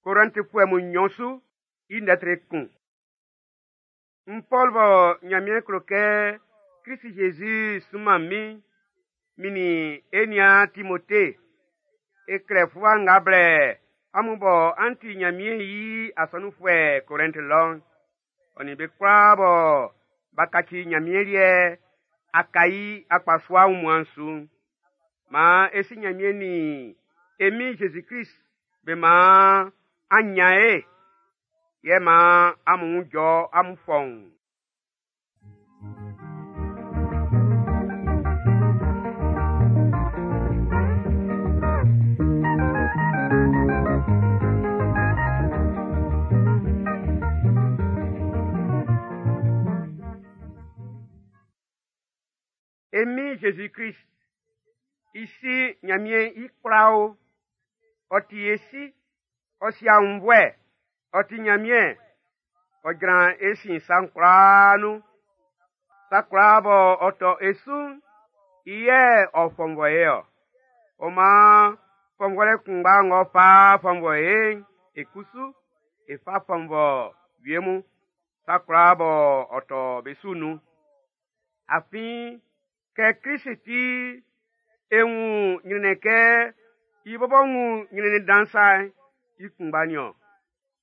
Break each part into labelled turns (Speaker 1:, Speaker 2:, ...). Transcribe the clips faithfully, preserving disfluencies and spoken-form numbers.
Speaker 1: Korɛntifuɛ mun nnyɔn su i ndɛ kun. N Pɔl bɔ Nyanmiɛn klo kɛ Krist Jésus sunman min, min nin e niaan Timote, e klɛ fluwa nga blɛ amun bɔ an ti Nyanmiɛn i asɔnunfuɛ Korɛnt lɔ'n, ɔ nin be kwlaa bɔ b'a kaci Nyanmiɛn liɛ Akai akpasua wunmuan'n su'n. Maan e si Nyanmiɛn nin e Min Jésus-Krist be maan an nyan e, yɛ maan amun wun jɔ amun fɔuun. E Min Jésus-Krist, i si Nyanmiɛn i kwla o, ɔ ti e si, ɔ si aunnvuɛ, ɔ ti Nyanmiɛn, ɔ jran e sin sa'n kwlaa nun. Sa kwlaa bɔ ɔ tɔ e su'n, i yɛ ɔ fɔnvɔ e ɔ. Ɔ maan fɔnvɔlɛ kunngba ng'ɔ fa fɔnvɔ e'n, e kusu e fa fɔnvɔ wie mun sa kwlaa bɔ ɔ tɔ be su nun. Afin kɛ Krist ti e wun nyrɛnnɛn kɛ i bɔbɔ wun nyrɛnnɛn dan sa'n, i kunngba nin-ɔn.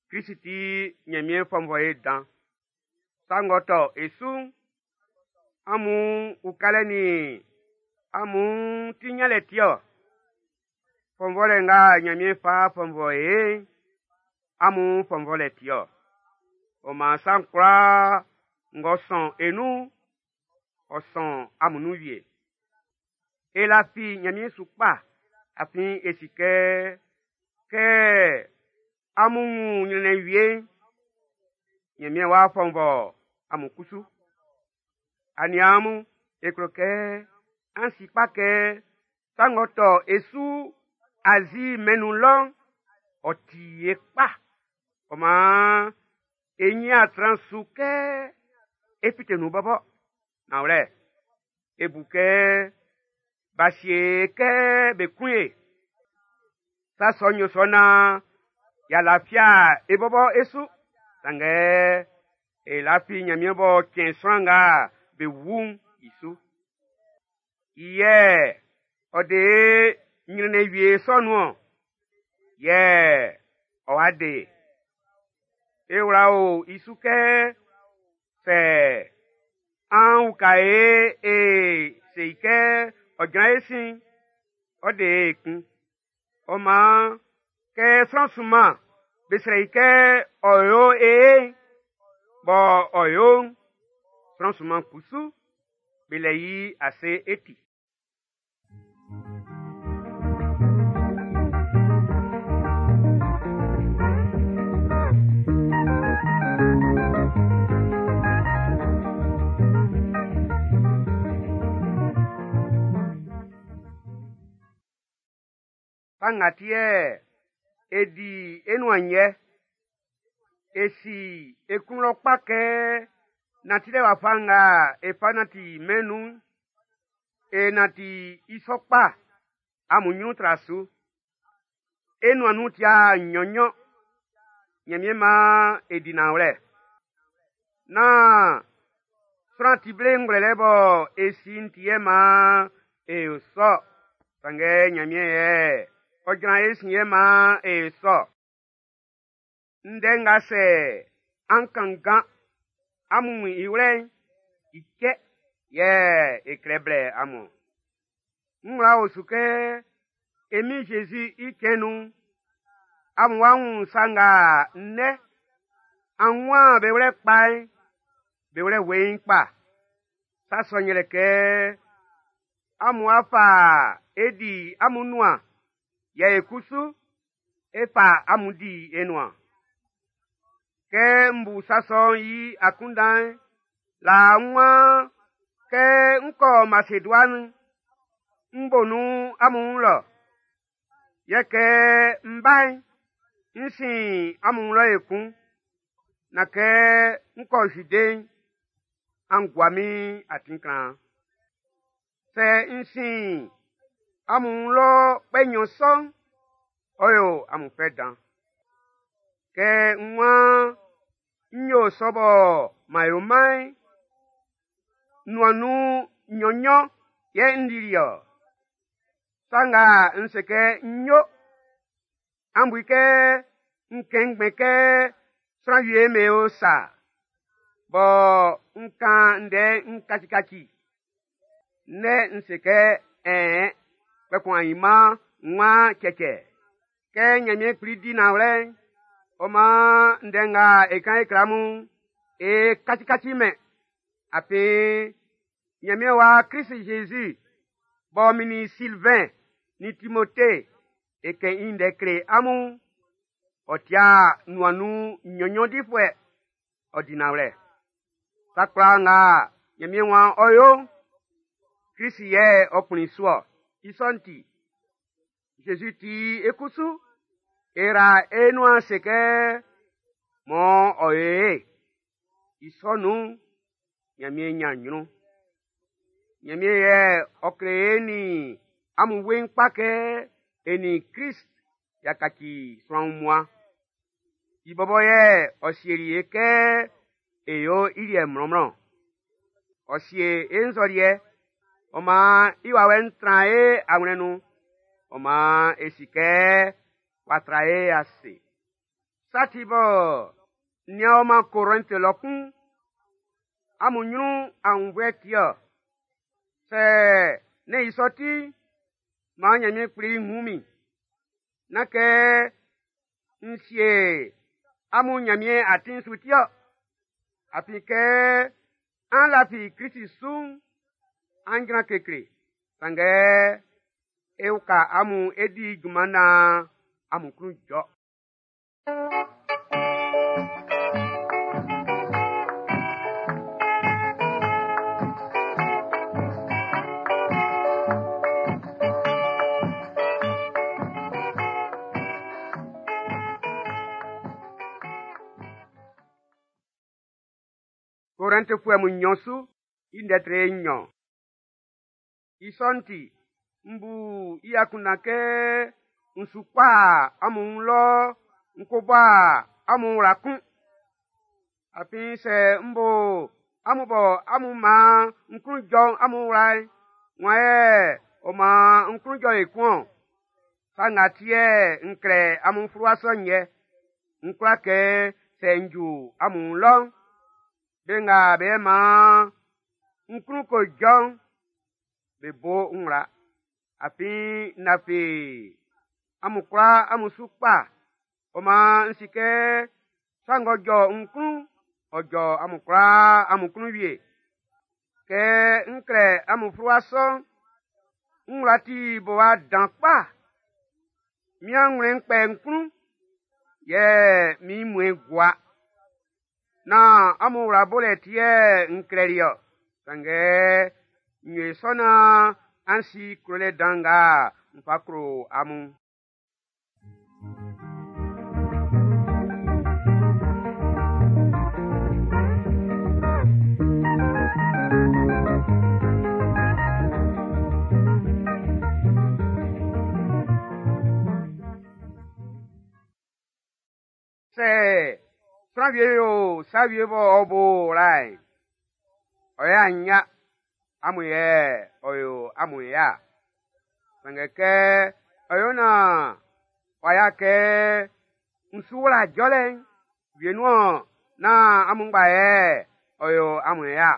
Speaker 1: Krist ti Nyanmiɛn fɔnvɔ e dan. Sa ng'ɔ tɔ e su'n, amun ukalɛ nin amun ti nyanlɛ ti-ɔ. Fɔnvɔlɛ nga Nyanmiɛn fa fɔnvɔ e'n, amun fɔnvɔlɛ ti-ɔ. Ɔ maan sa'n kwlaa ng'ɔ sɔn e nun'n, ɔ sɔn amun nun wie. E lafi Nyanmiɛn su kpa, afin e si kɛ, kɛ amun wun nyrɛnnɛn wie'n, Nyanmiɛn w'a fɔnvɔ amun kusu. Aniaan mun, e klo kɛ an si kpa kɛ sa ng'ɔ tɔ e su Azi mɛn'n nun lɔ'n, ɔ ti e kpa. Ɔ maan e nyin a tran su kɛ e fite nun bɔbɔ. Nanwlɛ, e bu kɛ b'a sie e kɛ be kun e. Sa sɔ'n yo sɔ naan y'a lafia e bɔbɔ e su. Sanngɛ e lafi Nyanmiɛn b'ɔ cɛn sran nga be wu'n i su. I yɛ ɔ de e nyrɛnnɛn wie sɔ nun-ɔn, yɛ ɔ wa de e. E wla o i su kɛ sɛ an uka e e se i kɛ ɔ jran e sin'n, ɔ de e kun. Ɔ maan kɛ sran sunman be srɛ i kɛ ɔ yo e ye'n, bɔ ɔ yo'n, sran sunman kusu be lɛ i ase e ti. Sa nga ti yɛ e di e nuan yɛ, e si e klun lɔ kpa kɛ nantilɛ wafa nga e fa nanti mɛn'n nun'n, e nanti i sɔ kpa amun nyrun tra su. E nuan nun ti'a nnyɔn-nnyɔn, Nyanmiɛn maan e di nanwlɛ. Nán sran ti ble ngwlɛlɛ bɔ e si'n ti yɛ maan e yo sɔ, sanngɛ Nyanmiɛn yɛ ɔ jran e sin yɛ maan e yo sɔ. Ndɛ nga sɛ an kanngan amun wun i wlɛ'n, i cɛ yɛ e klɛ blɛ amun. N wla o su kɛ e Min Jésus i cɛn nun'n, amun wá wun sa nga nnɛ an wun be wlɛ kpa'n, be wlɛ weiin kpa. Sa sɔ'n yɛlɛ kɛ amun a fa e di amun nuan, yɛ e kusu e fa amun di e nuan. Kɛ n bu sa sɔ'n i akunndan'n, laa n waan kɛ n kɔ Masedua'n, n bo nun amun wun lɔ. Yɛ kɛ n ba'n, n sin amun wun lɔ ekun. Na kɛ n kɔ Zude'n, an gua min atin klan. Sɛ n sin amun wun lɔ kpɛ nnyɔn sɔ'n, ɔ yo amun fɛ dan. Kɛ n waan n yo sɔ bɔ m'an yo-man'n, nuan nun nnyɔn-nnyɔn yɛ n dili-ɔ. Sa nga n se kɛ n yo, an bu i kɛ n kɛn ngbɛn kɛ sran wie me o sa, bɔ n kan ndɛ n kacikaci. Ndɛ n se kɛ ɛn, kpɛkun anyinman n waan cɛcɛ. Kɛ Nyanmiɛn Kpli di nanwlɛ'n, ɔ maan ndɛ nga e kan e kle amun'n, e kacikaci mɛn. Afin Nyanmiɛn wa Krist Jésus b'ɔ min nin Sylvain nin Timote e kɛn i ndɛ kle amun'n, ɔ tia nuan nun nnyɔn-nnyɔn difuɛ, ɔ di nanwlɛ. Sa kwlaa nga Nyanmiɛn waan ɔ yo'n, Krist yɛ ɔ kplin su-ɔ. I sɔ'n ti, Jésus ti e kusu, e ra e nuan se kɛ mɔ ɔ yo e. I sɔ nun'n, Nyanmiɛn nyan nyrun. Nyanmiɛn yɛ ɔ kle e nin amun weiin kpa kɛ e nin Krist y'a kaci sran wunmuan. I bɔbɔ yɛ ɔ sieli e kɛ e yo i liɛ mlɔnmlɔn. Ɔ sie e nzɔliɛ, ɔ maan i wawɛ'n tran e awlɛn nun, ɔ maan e si kɛ w'a tra e ase. Sa ti bɔ n nian ɔ-man Korɛnti lɔ kun, amun nyrun aunnvuɛ ti-ɔ. Sɛ nɛ́n i sɔ ti, maan Nyanmiɛn Kpli wun min. Nán kɛ n sie amun Nyanmiɛn atin'n su ti-ɔ. Afin kɛ an lafi Krist su'n, an jran kekle. Sanngɛ e uka amun e di junman naan amun klun jɔ. Korɛntifuɛ mun nnyɔn su i ndɛ tre nnyɔn. I sɔ'n ti, n bu i akunndan kɛ n su kɔ amun wun lɔ n ko bɔ amun wla kun. Afin sɛ n bo amun bɔ amun maan n klun jɔ'n amun wla'n, wan yɛ ɔ maan n klun jɔ ekun-ɔn? Sa nga ti yɛ n klɛ amun fluwa sɔ'n yɛ, n kwla kɛ sɛ n ju amun wun lɔ'n, be nga be maan n klun ko jɔ'n, be bo n wla. Afin n lafi amun kwlaa amun su kpa. Ɔ maan n si kɛ sa ng'ɔ jɔ n klun'n, ɔ jɔ amun kwlaa amun klun wie. Kɛ n klɛ amun fluwa sɔ'n, n wla ti bowa dan kpa. Min anwlɛn'n kpɛ n klun, yɛ min mmuɛ'n gua. Nán amun wla bolɛ ti yɛ n klɛli-ɔ. Sanngɛ n yo sɔ naan an si klolɛ dan nga n fa klo amun. Sɛ sran wie yo sa wie bɔ ɔ bo wla'n, ɔ yɛ anya, amun yɛ ɔ yo amun ya. Sanngɛ kɛ ɔ yo naan ɔ ya kɛ n su wla jɔlɛ'n, wienun-ɔn nán amun ngba yɛ ɔ yo amun ya.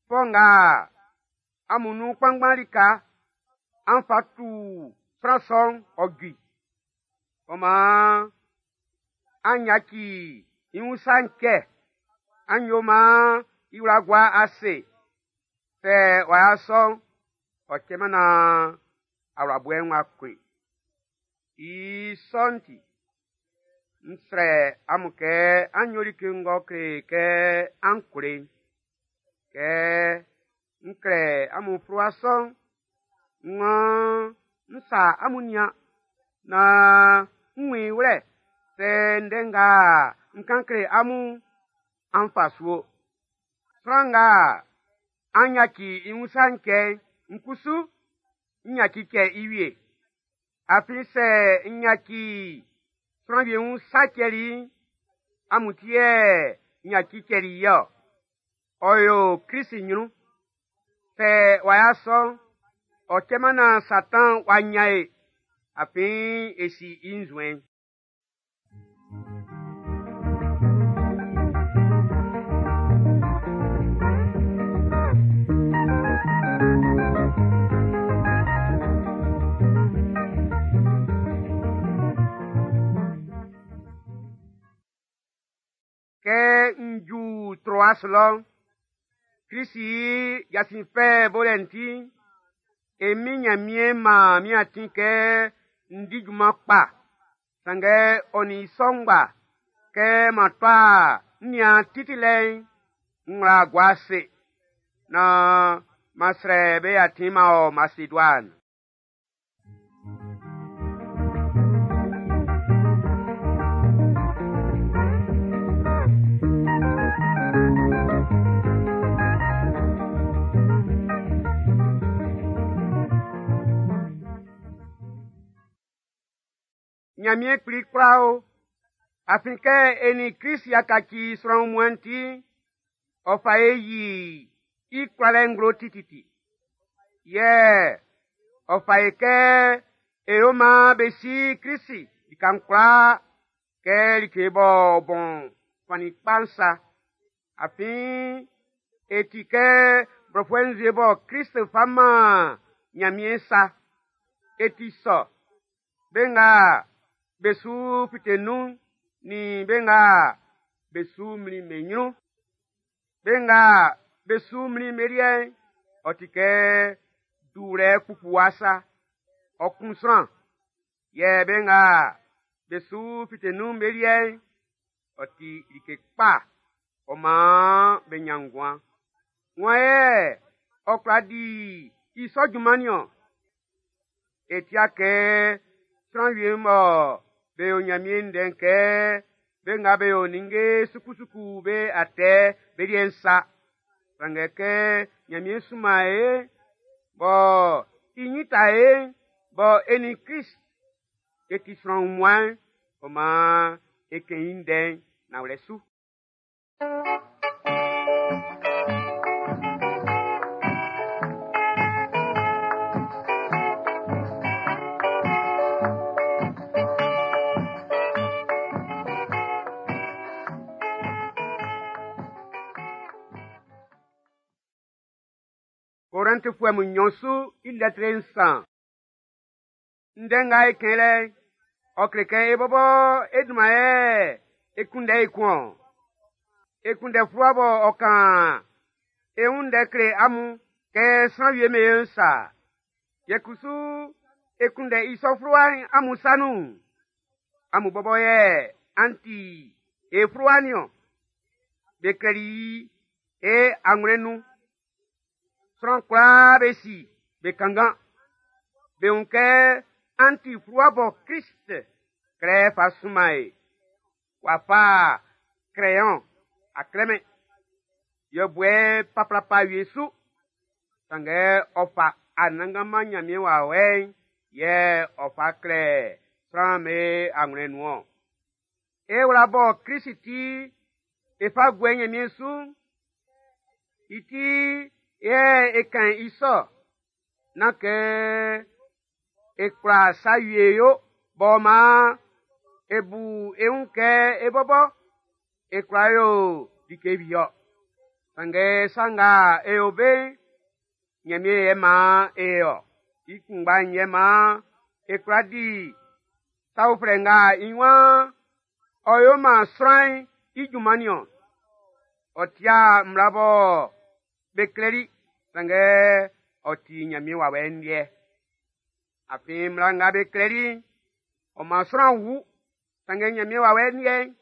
Speaker 1: Fɔ nga amun nun kpanngban lika an fa tu sran sɔ'n ɔ ju i. Ɔ maan an yaci i wun sa'n cɛ, an yo maan i wla gua ase. Sɛ ɔ'a sɔ'n, ɔ cɛman naan awlaboɛ'n w'a kun i. I sɔ'n ti, n srɛ amun kɛ an yo like ng'ɔ kle kɛ an klo i'n. Kɛ n klɛ amun fluwa sɔ'n, n waan n sa amun nian naan n wun i wlɛ sɛ ndɛ nga n kan kle amun'n, an fa su o. Sran nga an yaci i wun sa'n cɛ'n, n kusu n yaci cɛ i wie. Afin sɛ n yaci Sran wie wun sa cɛli, amun ti yɛ n yaci cɛli i ɔ. Ɔ yo Krist ɲrun. Sɛ w'a ya sɔ'n, ɔ cɛman naan Satan w'a ɲan e, afin e si i nzuɛn'n. Kɛ n ju Troas lɔ'n, Krist i jasin fɛ bolɛ'n ti'n, e min Nyanmiɛn maan min atin kɛ n di junman kpa. Sanngɛ ɔ nin i sɔ ngba, kɛ m'an tɔa n nian Titi lɛ'n, n wla gua ase, naan m'an srɛ be atin m'an ɔ Maseduan. Ɲanmiɛn kpli kwla o, afin kɛ e nin Krist y'a kaci sran wunmuan'n ti'n, ɔ fa e yi i kwlalɛ nglo tititi. Yɛ ɔ fa e kɛ e yo maan be si Krist lika'n kwlaa kɛ like b'ɔ bɔn fannin kpa'n sa. Afin e ti kɛ blɔfuɛ nzue bɔ Krist fa man Ɲanmiɛn sa. E ti sɔ, be nga be su fite nun nin be nga be su mlin be ɲrun. Be nga be su mlin be liɛ'n, ɔ ti kɛ duwlɛ kpukpuwa sa, ɔ kun sran. Yɛ be nga be su fite nun be liɛ'n, ɔ ti like kpa, ɔ maan be ɲan nguan. Wan yɛ ɔ kwla di i sɔ junman niɔn? E tia kɛ sran wie'm bɔ be yo Ɲanmiɛn ndɛ'n kɛ be nga be yo ninnge sukusuku be atɛ be liɛ'n sa. Sanngɛ kɛ Ɲanmiɛn sunman e, bɔ i ɲin ta e, bɔ e nin Krist e ti sran wunmuan'n, ɔ maan e kɛn i ndɛ'n nanwlɛ su. Korɛntifuɛ mun nnyɔn su i lɛtri nsan. Ndɛ nga e kɛn lɛ'n, ɔ kle kɛ e bɔbɔ e dunman yɛ e kunndɛ i kun-ɔn. E kunndɛ fluwa bɔ ɔ kan e wun ndɛ kle amun kɛ sran wie be sa. Yɛ kusu e kunndɛ i sɔ fluwa'n amun sa nun. Amun bɔbɔ yɛ an ti e fluwa niɔn. Be klɛli i e anwlɛn nun. Sran kwlaa be si be kanngan. Be wun kɛ an ti fluwa bɔ Krist klɛ fa sunman e. W'a fa crayon a klɛmɛn. Yɛbuɛ paplapa wie su. Sanngɛ ɔ fa Anannganman Ɲanmiɛn wawɛ'n yɛ ɔ fa klɛ sran'm be anwlɛn nun-ɔn. E wla bɔ Krist ti e fa guɛ Ɲanmiɛn su'n, i ti yɛ e kan i sɔ, nán kɛ e kwla sa wie yo bɔ maan e bu e wun kɛ e bɔbɔ e kwla yo like wie-ɔ. Sanngɛ sa nga e yo be'n, Ɲanmiɛn yɛ maan e ɔ. I kunngba'n yɛ maan e kwla di sa uflɛ nga i waan ɔ yo maan sran'n i junman niɔn. Ɔ tia mmla bɔ be klɛli, sanngɛ ɔ ti Ɲanmiɛn wawɛ'n liɛ. Afin mmla nga be klɛli'n, ɔ man sran wu, sanngɛ Ɲanmiɛn wawɛ'n liɛ'n,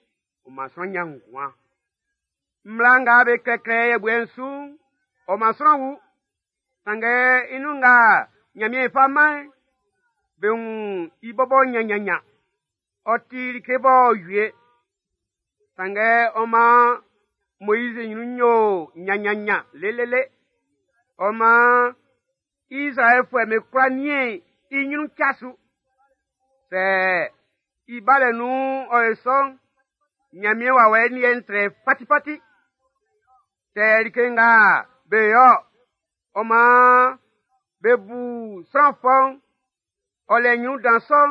Speaker 1: ɔ man sran ɲan nguan. Mmla nga be klɛklɛ yɛbuɛ'n su'n, ɔ man sran wu, sanngɛ i nun nga Ɲanmiɛn fa man'n, be wun i bɔbɔ ɲanɲanɲan. Ɔ ti like b'ɔ wie, sanngɛ ɔ man Moizi ɲrun yo ɲanɲanɲan lelele. Ɔ man Izraɛlfuɛ'm be kwla niɛn i ɲrun tsa su. Sɛ I balɛ nun ɔ ye sɔ'n, Ɲanmiɛn wawɛ'n liɛ'n trɛ fatifati. Sɛ like nga be yo ɔ maan be bu sran fɔ'n, ɔ lɛ ɲrun dan sɔ'n,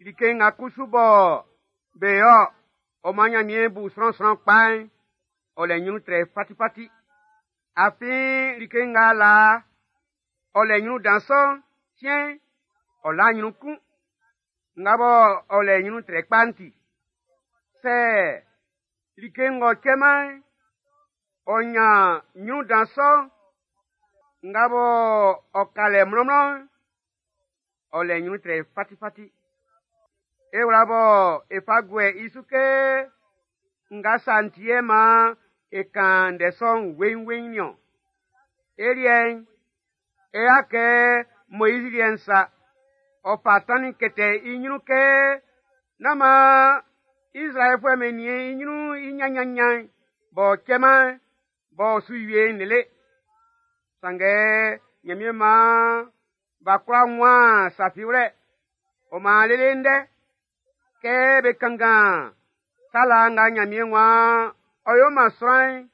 Speaker 1: like nga kusu bɔ be yo ɔ maan Ɲanmiɛn bu sran sran kpa'n, ɔ lɛ ɲrun trɛ fatifati. Afin like nga laa ɔ lɛ ɲrun dan sɔ'n, siɛn'n, ɔ la ɲrun kun. Nga bɔ ɔ lɛ ɲrun trɛ kpa'n ti. Sɛ like ng'ɔ cɛman'n, ɔ ɲan ɲrun dan sɔ'n, nga bɔ ɔ ka lɛ mlɔnmlɔn'n, ɔ lɛ ɲrun trɛ fatifati. E wla bɔ e fa guɛ i su kɛ nga sa'n ti yɛ maan e kan ndɛ sɔ'n weiinweiin niɔn. E liɛ'n, e y'a kɛ Moizi liɛ'n sa, ɔ fa tannin kɛtɛ i ɲrun kɛ nán maan Izraɛlifuɛ'm be niɛn i ɲrun i ɲanɲanɲan'n b'ɔ cɛman b'ɔ su wie'n lele. Sanngɛ Ɲanmiɛn maan b'a kwla wun sa fi wlɛ. Ɔ maan lele ndɛ kɛ be kanngan sala nga Ɲanmiɛn waan ɔ yo man sran'n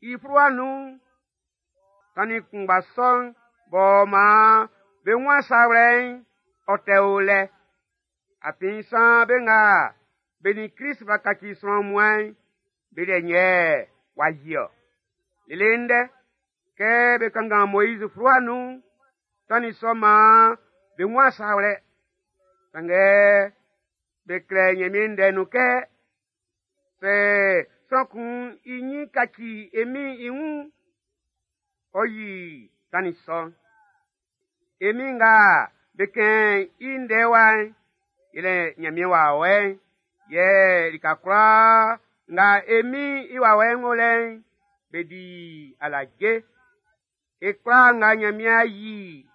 Speaker 1: i fluwa nun'n, tannin kunngba sɔ'n b'ɔ maan be wun sa wlɛ'n, ɔ tɛ o lɛ. Afin san be nga be nin Krist b'a kaci sran wunmuan'n, be liɛ yɛ w'a yi-ɔ. Lele ndɛ, kɛ be kanngan Moiz fluwa nun'n, tannin sɔ'n maan be wun sa wlɛ. Sanngɛ be klɛ Ɲanmiɛn ndɛ nun kɛ, sɛ sran kun i ɲin kaci e Min'n i wun'n, ɔ yi tannin sɔ'n. E Min nga be kɛn i ndɛ wa'n, yɛlɛ Ɲanmiɛn wawɛ'n, yɛ lika kwlaa nga e Min'n i wawɛ'n wo lɛ'n, be di alaje. E kwlaa nga Ɲanmiɛn a yi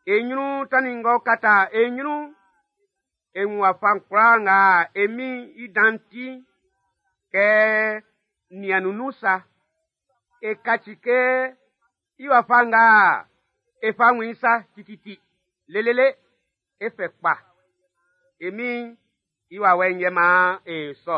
Speaker 1: e ɲrun tannin ng'ɔ kata e ɲrun'n, e wun wafa kwlaa nga e Min'n i dan'n ti'n, kɛ niannun nun sa. E kaci kɛ i wafa nga e fa wun i sa tititi, lelele, e fɛ kpa. E Min'n i wawɛ'n yɛ maan e sɔ.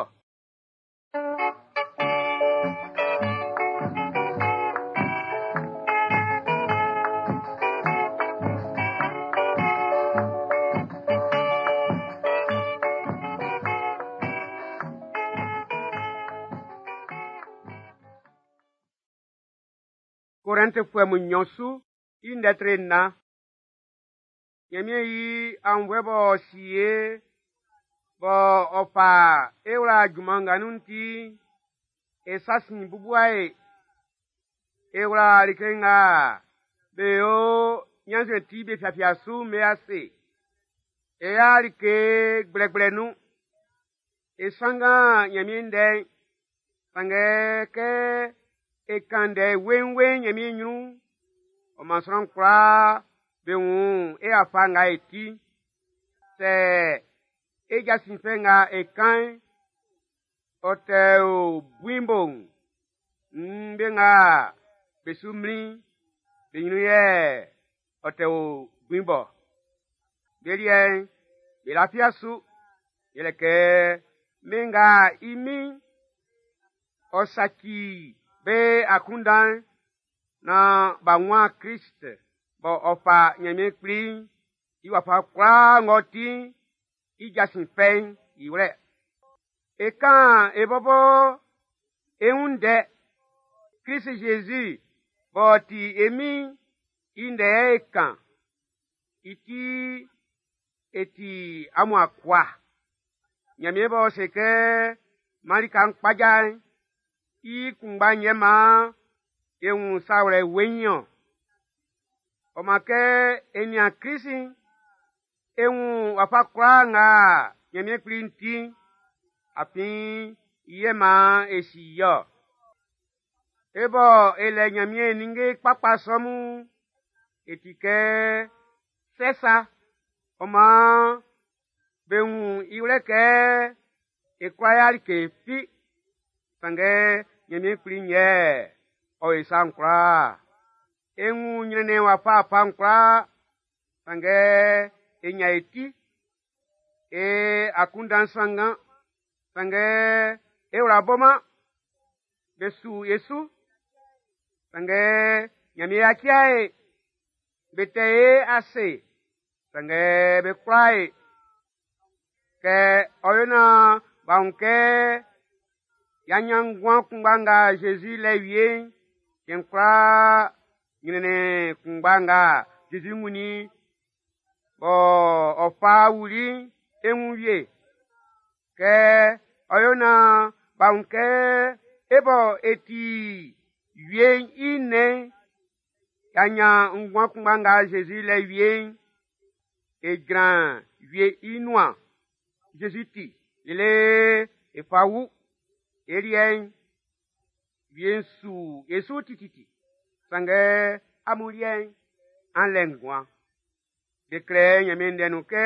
Speaker 1: Korɛntifuɛ mun nnyɔn su i ndɛ tre nnan. Ɲanmiɛn i aunnvuɛ b'ɔ si ye bɔ ɔ fa e wla junman nga nun'n ti'n, e sa sin bubua e. E wla like nga be yo ɲannzuɛn ti be fiafia su'n be ase. E ya like gblɛgblɛ nun. E sanngan Ɲanmiɛn ndɛ'n. Sanngɛ kɛ e kan ndɛ weiinweiin Ɲanmiɛn ɲrun'n, ɔ man sran kwlaa be wun e afa nga e ti. Sɛ e jasin fɛ nga e kan'n, ɔ tɛ o buin bo'n, nn be nga be su mlin'n, be ɲrun yɛ ɔ tɛ o buin bɔ. Be liɛ'n, be lafia su, yɛlɛ kɛ mɛn nga i min'n, ɔ saci be akunndan'n naan b'a wun Krist bɔ ɔ fa Ɲanmiɛn Kpli'n i wafa kwlaa ng'ɔ ti'n i jasin fɛ'n i wlɛ. E kan e bɔbɔ e wun ndɛ, Krist Zezi b'ɔ ti e Min'n i ndɛ yɛ e kan. I ti e ti amun akua. Ɲanmiɛn b'ɔ se kɛ maan lika'n kpaja'n, i kunngba'n yɛ maan e wun sa wlɛ weiin-ɔn. Ɔ maan kɛ e nian Krist'n, e wun wafa kwlaa nga Ɲanmiɛn Kpli'n ti'n, afin i yɛ maan e si i-ɔ. E bɔ e lɛ Ɲanmiɛn ninnge kpakpa sɔ mun'n, e ti kɛ sɛ sa. Ɔ maan be wun i wlɛ kɛ e kwla ya like fi. Sanngɛ Ɲanmiɛn Kpli'n yɛ ɔ yo sa'n kwlaa. E wun ɲrɛnnɛn wafawafa'n kwlaa, sanngɛ e ɲan e ti. E akunndan sanngan, sanngɛ e wla boman. Be su e su, sanngɛ Ɲanmiɛn yaci e. Be tɛ e ase, sanngɛ be kwla e. Kɛ ɔ yo naan b'a wun kɛ y'a ɲan nguan kunngba nga Zezi lɛ wie'n, cɛn kwlaa ɲrɛnnɛn kunngba nga Zezi wunnin bɔ ɔ fa wuli'n e wun wie. Kɛ ɔ yo naan b'a wun kɛ e bɔ e ti wie'n i nnɛn'n, y'a ɲan nguan kunngba nga Zezi lɛ wie'n, e jran wie i nuan Zezi ti lele e fa wu. E liɛ'n, wie'n su e su tititi. Sanngɛ amun liɛ'n, an lɛ nguan. Be klɛ Ɲanmiɛn ndɛ nun kɛ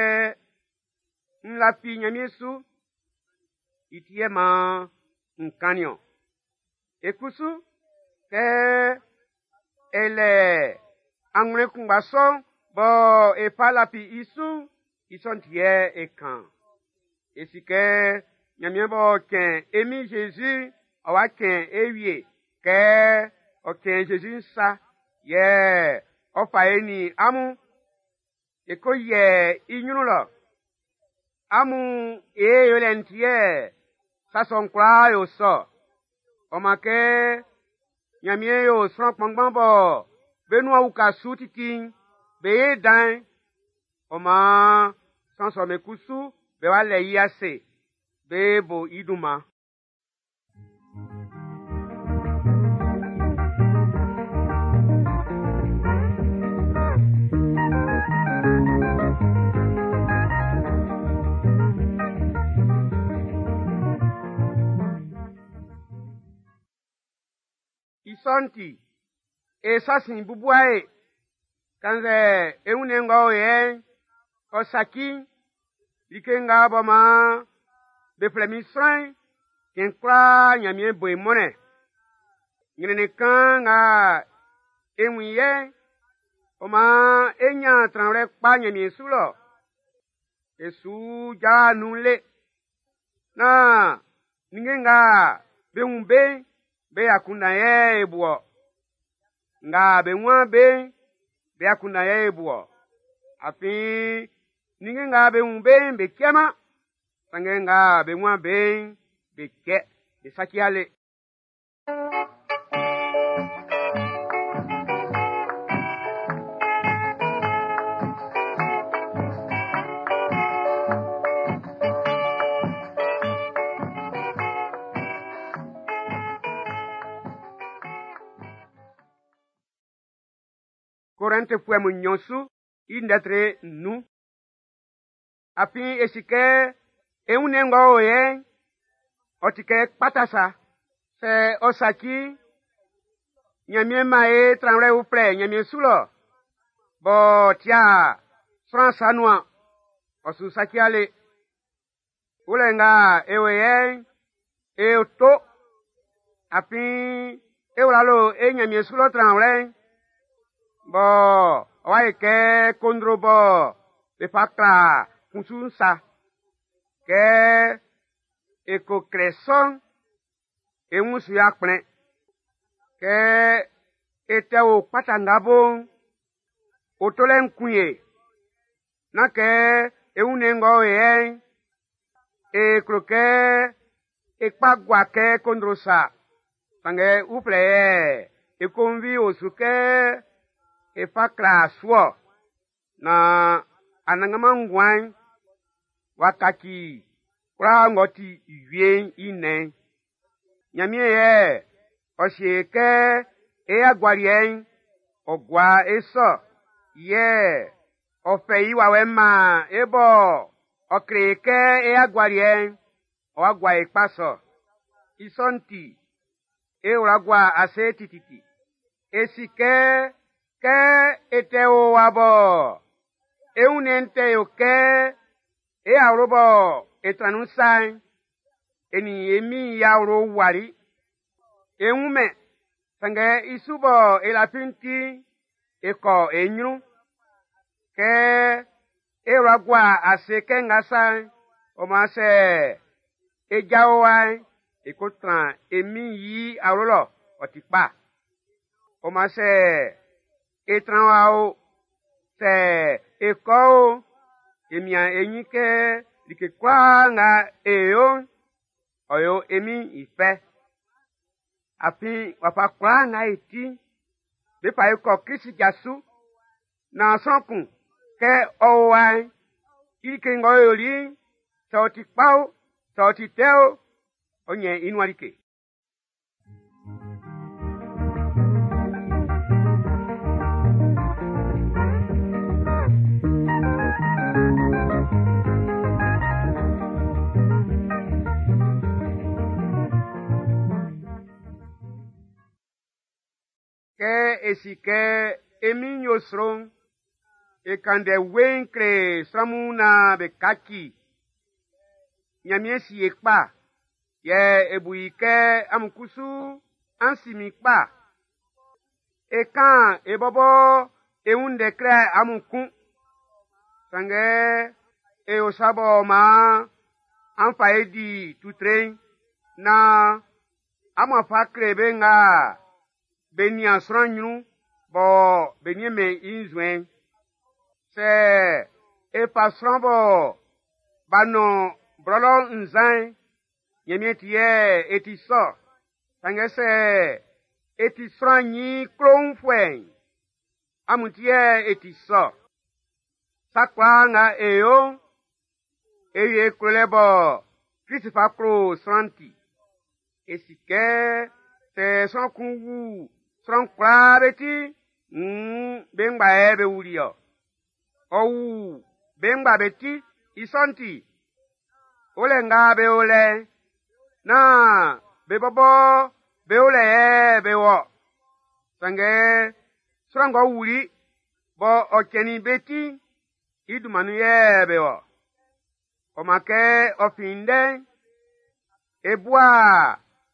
Speaker 1: n lafi Ɲanmiɛn su, i ti yɛ maan n kannin ɔn. E kusu, kɛ e lɛ anwlɛn kunngba sɔ'n bɔ e fa lafi i su'n, i sɔ'n ti yɛ e kan. E si kɛ Ɲanmiɛn b'ɔ cɛn e Min Zezi, ɔ wa cɛn e wie kɛ ɔ cɛn Zezi sa, yɛ ɔ fa e nin amun e ko yɛ i ɲrun lɔ. Amun e yolɛ'n ti yɛ sa sɔ'n kwlaa yo sɔ. Ɔ man kɛ Ɲanmiɛn yo sran kpanngban bɔ be nuan uka su titi'n, be ye dan. Ɔ maan sran sɔ'm be kusu be wa lɛ i ase, be bo i dunman. I sɔ'n ti, e sa sin bubua e. Kannzɛ e wunnɛn ng'ɔ o yɛ'n, ɔ saci'n, like nga bɔ maan be flɛ min sran'n, cɛn kwlaa Ɲanmiɛn bo e mɔnnɛn. Ɲrɛnnɛn kan nga e wun i yɛ'n, ɔ maan e ɲan tranwlɛ kpa Ɲanmiɛn su lɔ. E su ja nun le. Naan ninnge nga be wun be'n, be akunndan yɛ e bu ɔ. Nga be wun be'n, be akunndan yɛ e bu ɔ. Afin ninnge nga be wun be'n, be cɛman. Sanngɛ nga be wun be'n, be cɛ, be saci ale. Korɛntifuɛ mun nnyɔn su i ndɛtre nnun. Afin e si kɛ e wunnɛn ng'ɔ o yɛ'n, ɔ ti kɛ kpata sa. Sɛ ɔ saci, Ɲanmiɛn man e tranwlɛ uflɛ Ɲanmiɛn su lɔ, b'ɔ tia sran sa nuan, ɔ su saci ale. Wulɛ nga e o yɛ'n, e to. Afin e wla lo e Ɲanmiɛn su lɔ tranwlɛ'n, bɔ ɔ wa yɛ kɛ kondro bɔ be fa kla kunsu'n sa. Kɛ e ko klɛ sɔ'n, e wun su ya kplɛn. Kɛ e tɛ o kpata nga bo'n, o tolɛ'n kun ye. Nán kɛ e wunnɛn ng'ɔ o yɛ'n, e klo kɛ e kpa gua kɛ kondro sa. Sanngɛ uflɛ yɛ e konvi o su kɛ e fa kla su-ɔ. Na anannganman nguan'n w'a kaci kwlaa ng'ɔ ti wie'n i nnɛn'n. Ɲanmiɛn yɛ ɔ sie kɛ e agualiɛ'n ɔ gua e sɔ, yɛ ɔ fɛ i wawɛ'n maan e bɔ ɔ kle kɛ e agualiɛ'n ɔ wa gua e kpa sɔ. I sɔ'n ti, e wla gua ase tititi. E si kɛ kɛ e tɛ o wa bɔ e wunnɛn'n tɛ yo kɛ e awlo bɔ e tran nun sa'n, e nin e Min'n i awlo wali. E wun mɛn, sanngɛ i su bɔ e lafi'n ti, e kɔ e ɲrun. Kɛ e wla gua ase kɛ nga sa'n, Ɔ maan sɛ e jao wa'n, e ko tran e min yi awlo lɔ, ɔ ti kpa. Ɔ maan sɛ e tran wa o, sɛ e kɔ o, e mian e ɲin kɛ like kwlaa nga e yo'n, ɔ yo e min'n i fɛ. Afin wafa kwlaa nga e ti'n, be fa e kɔ Krist ja su, naan sran kun kɛ ɔ o wa'n, i like ng'ɔ yoli'n, sɛ ɔ ti kpa o, sɛ ɔ ti tɛ o, ɔ ɲɛn i nuan like. Kɛ e si kɛ e min'n yo sro'n, e kan ndɛ weiin kle sran mun naan be kaci. Ɲanmiɛn si e kpa, yɛ e bu i kɛ amun kusu an si min kpa. E kan e bɔbɔ e wun ndɛ kle amun kun. Sanngɛ e yo sa b'ɔ maan an fa e di tutre'n, naan amun a fa kle be nga be nian sran ɲrun bɔ be niɛnmɛn i nzuɛn'n. Sɛ e fa sran bɔ b'a nɔn blɔlɔ nzan'n, Ɲanmiɛn ti yɛ e ti sɔ. Sanngɛ sɛ e ti sran ɲin klonfuɛ'n, amun ti yɛ e ti sɔ. Sa kwlaa nga e yo'n, e yo e klolɛ bɔ Krist fa klo sran'n ti. E si kɛ sɛ sran kun wu sran kwlaa be ti, wuun be ngba yɛ be wuli-ɔ. Ɔ wu be ngba be ti, i sɔ'n ti, olɛ nga be o lɛ'n, naan be bɔbɔ be o lɛ yɛ be wɔ. Sanngɛ sran ng'ɔ wuli bɔ ɔ cɛnnin be ti'n, i dunman nun yɛ be wɔ. Ɔ maan kɛ ɔ fin ndɛ'n, e bua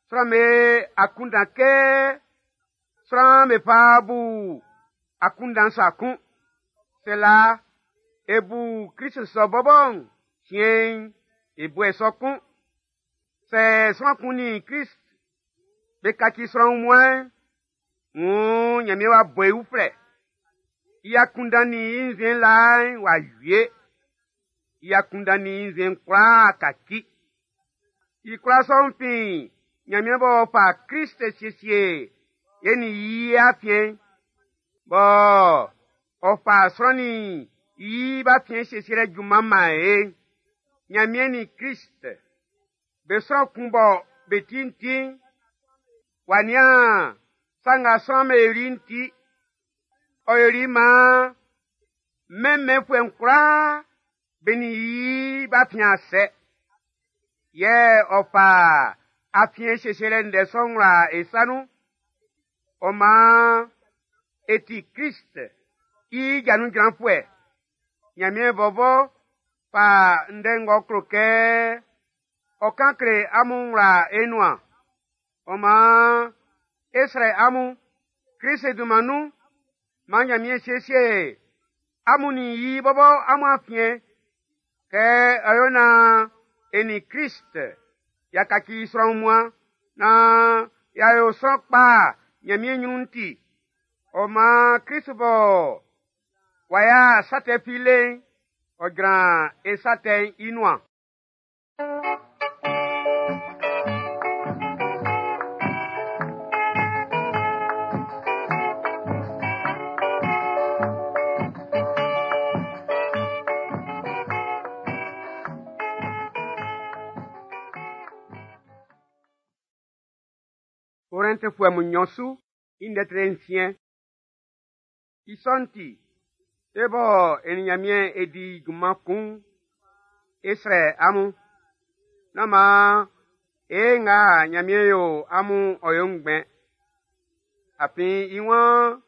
Speaker 1: sran'm be akunndan kɛ sran'm be fa bu akunndan sa kun. Sɛ laa e bu Krist sɔ bɔbɔ'n, siɛn'n e bu e sɔ kun. Sɛ sran kun nin Krist be kaci sran wunmuan'n, wuun Ɲanmiɛn w'a bɔ i uflɛ. I akunndan nin i nzuɛn laa'n w'a wie. I akunndan nin i nzuɛn'n kwlaa kaci. I kwlaa sɔ'n fin Ɲanmiɛn b'ɔ fa Krist siesie e nin i afiɛn'n, bɔ ɔ fa sran nin i b'afiɛn siesielɛ junman man e. Ɲanmiɛn nin Krist be sran kun bɔ be ti'n ti'n, w'a nian sa nga sran'm be yoli'n ti. Ɔ yoli maan mɛnmɛnfuɛ'n kwlaa be nin i b'afiɛn a sɛ. Yɛ ɔ fa afiɛn siesielɛ ndɛ sɔ'n wla e sa nun. Ɔ maan e ti Krist i ja nun jranfuɛ. Ɲanmiɛn bɔbɔ fa ndɛ ng'ɔ klo kɛ ɔ kan kle amun wla e nuan. Ɔ maan e srɛ amun Krist dunman nun, maan Ɲanmiɛn siesie amun nin i bɔbɔ amun afiɛn kɛ ɔ yo naan e nin Krist y'a kaci sran wunmuan naan y'a yo sran kpa Ɲanmiɛn ɲrun'n ti. Ɔ maan Krist bɔ w'a ya sa tɛ fi le'n, ɔ jran e sa tɛ'n i nuan. Korɛntifuɛ mun nnyɔn su i ndɛ tre nsiɛn. I sɔ'n ti, e bɔ e nin Ɲanmiɛn e di junman kun'n, e srɛ amun. Nán maan e nga Ɲanmiɛn yo amun ɔ yo ngbɛn. Afin i waan,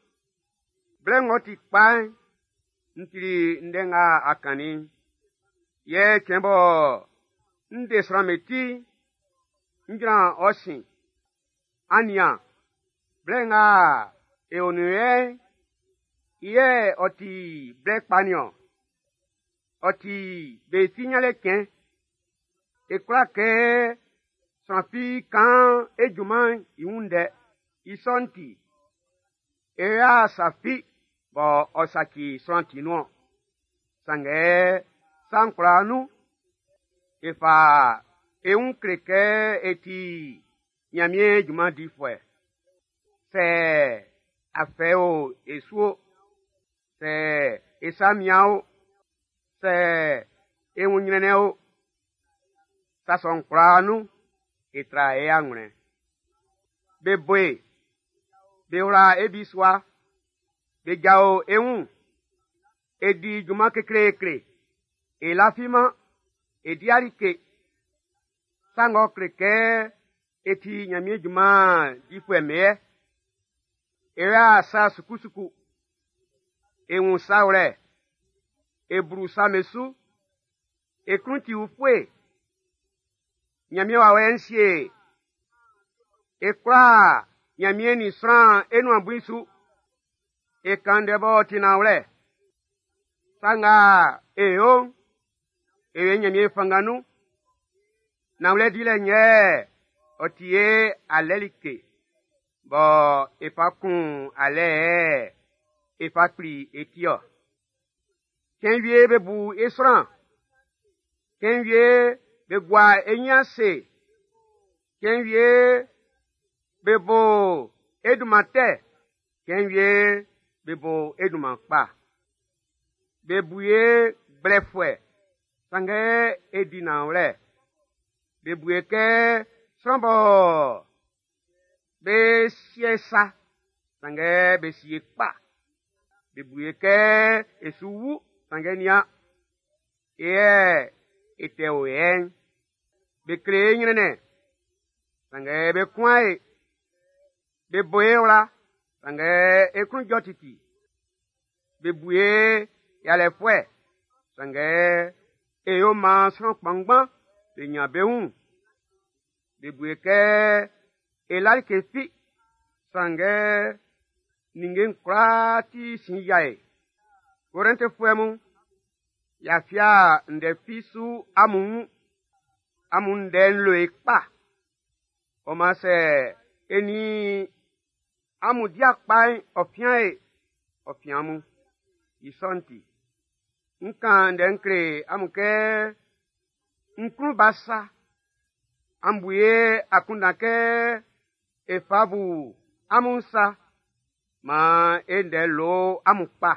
Speaker 1: blɛ ng'ɔ ti kpa'n, n tili ndɛ nga a kannin'n. Yɛ cɛn bɔ n de sran'm be ti'n, n jran ɔ sin. An nian, blɛ nga e o nun yɛ'n, i yɛ ɔ ti blɛ kpa nin-ɔn. Ɔ ti be ti ɲanlɛ cɛn. E kwla kɛ sran fi kan e junman'n i wun ndɛ. I sɔ'n ti, e ya sa fi bɔ ɔ saci sran ti nun. Sanngɛ sa'n kwlaa nun, e fa e wun kle kɛ e ti Ɲanmiɛn junman difuɛ. Sɛ afɛ o e su o, sɛ e sa mian o, sɛ e wun ɲrɛnnɛn o, sa sɔ'n kwlaa nun, e tra e anwlɛn. Be bo e, be wla e bisua, be jao e wun, e di junman kekleekle, e lafiman, e di alike. Sa ng'ɔ kle kɛ e ti Ɲanmiɛn junman difuɛ mɛɛ. E ya sa sukusuku, e wun sa wlɛ, e blu sa me su, e klun ti ufue. Ɲanmiɛn wawɛ'n sie e kwlaa Ɲanmiɛn nin sran e nuan bui su. E kan ndɛ b'ɔ ti nanwlɛ. Sa nga e yo'n, e yo Ɲanmiɛn fanngan nun. Nanwlɛ dilɛ'n yɛ ɔ ti e alɛ like bɔ e fa kun alɛ e fa kpli e ti-ɔ. Cɛn wie be bu e sran, cɛn wie be gua e nyin ase, cɛn wie be bo e dunman tɛ, cɛn wie be bo e dunman kpa. Be bu e gblɛfuɛ, sanngɛ e di nanwlɛ. Be bu e kɛ sran bɔ be sie sa, sanngɛ be sie kpa. Be bu e kɛ e su wu, sanngɛ nian, e yɛ e tɛ o yɛ'n. Be kle e ɲrɛnnɛn, sanngɛ be kuan e. Be bo e wla, sanngɛ e klun jɔ titi. Be bu e yalɛfuɛ, sanngɛ e yo maan sran kpanngban be ɲan be wun. Be bu e kɛ e la like fi, sanngɛ ninnge'n kwlaa ti sin yia e. Korɛntifuɛ mun, y'a fia ndɛ fi su amun wun. Amun ndɛ'n lo e kpa. Ɔ maan sɛ e nin amun di akpa'n, ɔ fia e, ɔ fia amun. I sɔ'n ti, n kan ndɛ n kle amun kɛ n klun ba sa. An bu ye akunndan kɛ e fa bu amun sa. Maan e ndɛ lo amun kpa.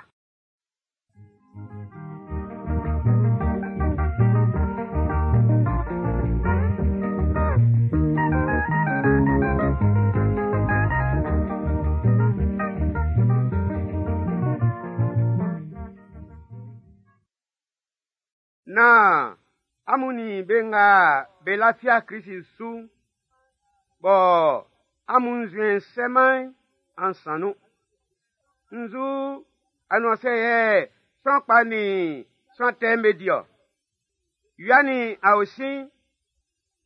Speaker 1: Na amun nin be nga be lafia Krisi su, bɔ amun nzuɛn sɛman an san nun. Nzu anuansɛ yɛ sran kpa nin sran tɛ'n be di-ɔ. Wia nin aosin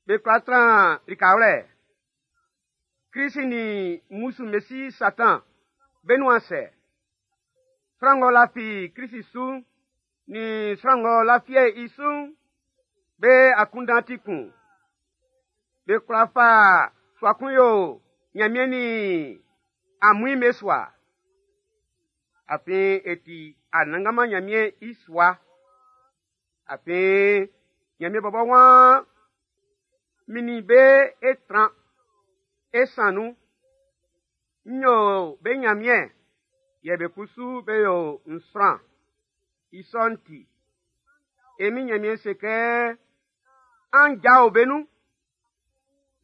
Speaker 1: be kwla tran likawlɛ. Krisi nin mmusu mesi Satan be nuan sɛ. Sran ng'ɔ lafi Krisi su nin sran ng'ɔ lafie i su'n, be akunndan ti kun. Be kwla fa sua kun yo Ɲanmiɛn nin amuin be sua. Afin e ti Anannganman Ɲanmiɛn i sua. Afin Ɲanmiɛn bɔbɔ waan min nin be e tran e san nun. N yo be Ɲanmiɛn, yɛ be kusu be yo n sran. I sɔ'n ti, e min Ɲanmiɛn se kɛ an jao be nun,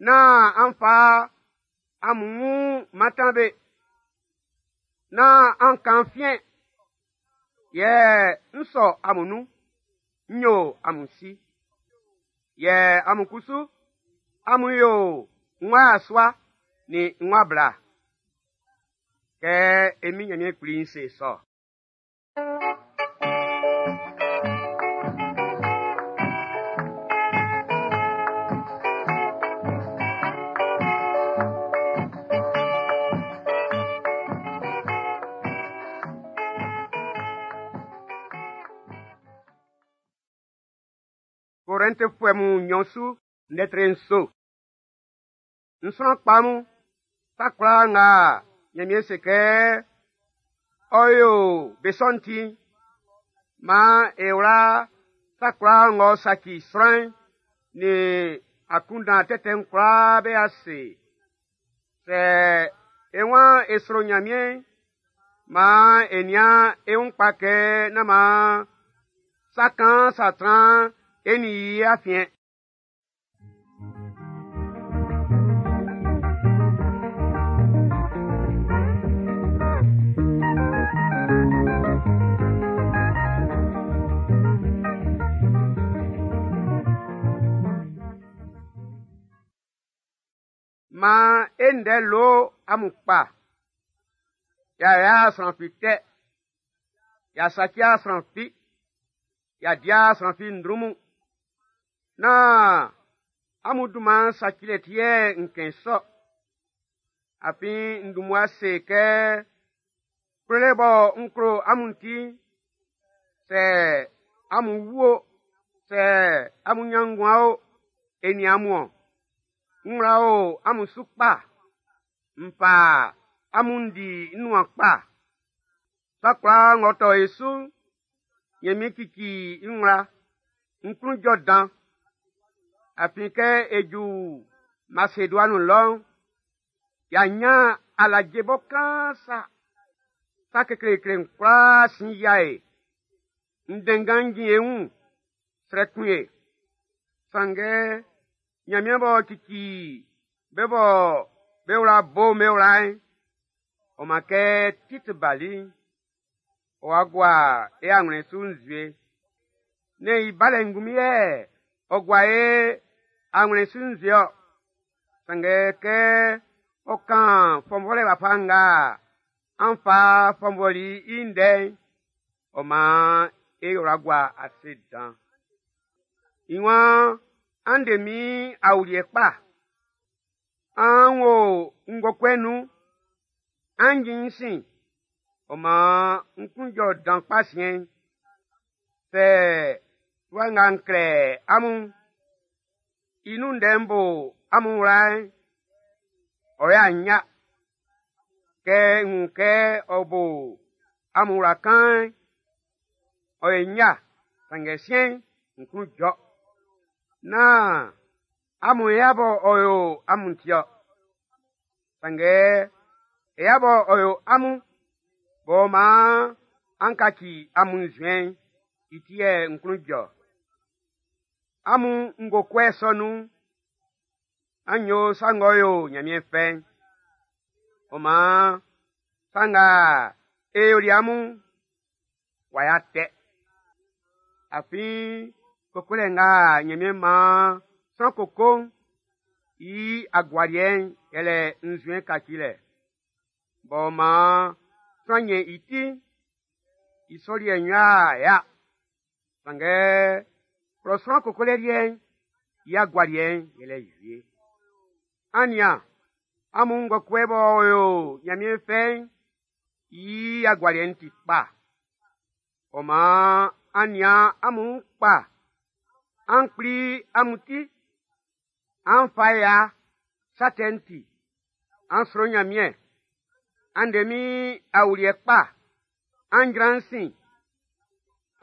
Speaker 1: naan an fa amun wun mantan be, naan an kan fiɛn, yɛ n sɔ amun nun, n yo amun si. Yɛ amun kusu, amun yo n wa asua nin n wa bla. Kɛ e min Ɲanmiɛn Kpli'n se sɔ. Korɛntifuɛ mun nnyɔn su lɛtri nso. N sran kpa mun, sa kwlaa nga Ɲanmiɛn se kɛ ɔ yo be sɔ'n ti'n, maan e wla sa kwlaa ng'ɔ saci sran'n nin akunndan tɛtɛ'n kwlaa be ase. Sɛ e waan e sro Ɲanmiɛn'n, maan e nian e wun kpa kɛ nán maan sa kaan sa tran e nin i afiɛn. Maan e ndɛ lo amun kpa. Y'a yo'a sran fi tɛ. Y'a saci'a sran fi. Y'a di'a sran fi ndrunmun. Nán amun dunman sacilɛ ti yɛ n kɛn sɔ. Afin n dun mmua se kɛ klolɛ bɔ n klo amun ti'n, sɛ amun wu o, sɛ amun ɲan nguan o, e nin amun-ɔn. N wla o amun su kpa. N fa amun n di n nuan kpa. Sa kwlaa ng'ɔ tɔ e su'n, Ɲanmiɛn cici n wla. N klun jɔ dan. Afin kɛ e ju Maseduanin lɔ'n, y'a ɲan alaje bɔ kaan sa. Sa kekleekle'n kwlaa sin yia e. Ndɛnngan'n jin e wun, srɛ kun e. Sanngɛ Ɲanmiɛn b'ɔ cici be bɔ be wla bo'n be wla'n, ɔ man kɛ Tit bali'n, ɔ wa gua e anwlɛn su nzue. Nɛ́n i balɛ ngunmin yɛ ɔ gua e anwlɛn su nzue-ɔ. Sanngɛ kɛ ɔ kan fɔnvɔlɛ wafa nga an fa fɔnvɔli i ndɛ'n, ɔ maan e wla gua ase dan. I waan, an de min awuliɛ kpa. An wo ngokɔɛ'n nun. An jin n sin. Ɔ maan n klun jɔ dan kpa siɛn'n. Sɛ fluwa nga n klɛ amun'n, i nun ndɛ'n bo amun wla'n, ɔ y'a nya. Kɛ n wun kɛ ɔ bo amun wla kan'n, ɔ ye nya, sanngɛ siɛn'n, n klun jɔ. Nán amun ya bɔ ɔ yo amun ti-ɔ. Sanngɛ e ya bɔ ɔ yo amun, b'ɔ maan an kaci amun nzuɛn'n, i ti yɛ n klun jɔ. Amun ngokɔɛ sɔ nun'n, an yo sa ng'ɔ yo Ɲanmiɛn fɛ'n. Ɔ maan sa nga e yoli amun'n, w'a ya tɛ. Afin kokolɛ nga Ɲanmiɛn maan sran koko'n, i agualiɛ'n yɛlɛ nzuɛn kacilɛ. B'ɔ maan sran ɲɛn i ti'n, i sɔ liɛ'n yo'a ya. Sanngɛ klɔ sran kokolɛ liɛ'n, i agualiɛ'n yɛlɛ wie. An nian, amun ngokɔɛ b'ɔ yo Ɲanmiɛn fɛ'n, i agualiɛ'n ti kpa. Ɔ maan an nian amun wun kpa. An kpli amun ti. An fa ya sa tɛ'n ti. An sro Ɲanmiɛn. An de min awuliɛ kpa. An jran n sin.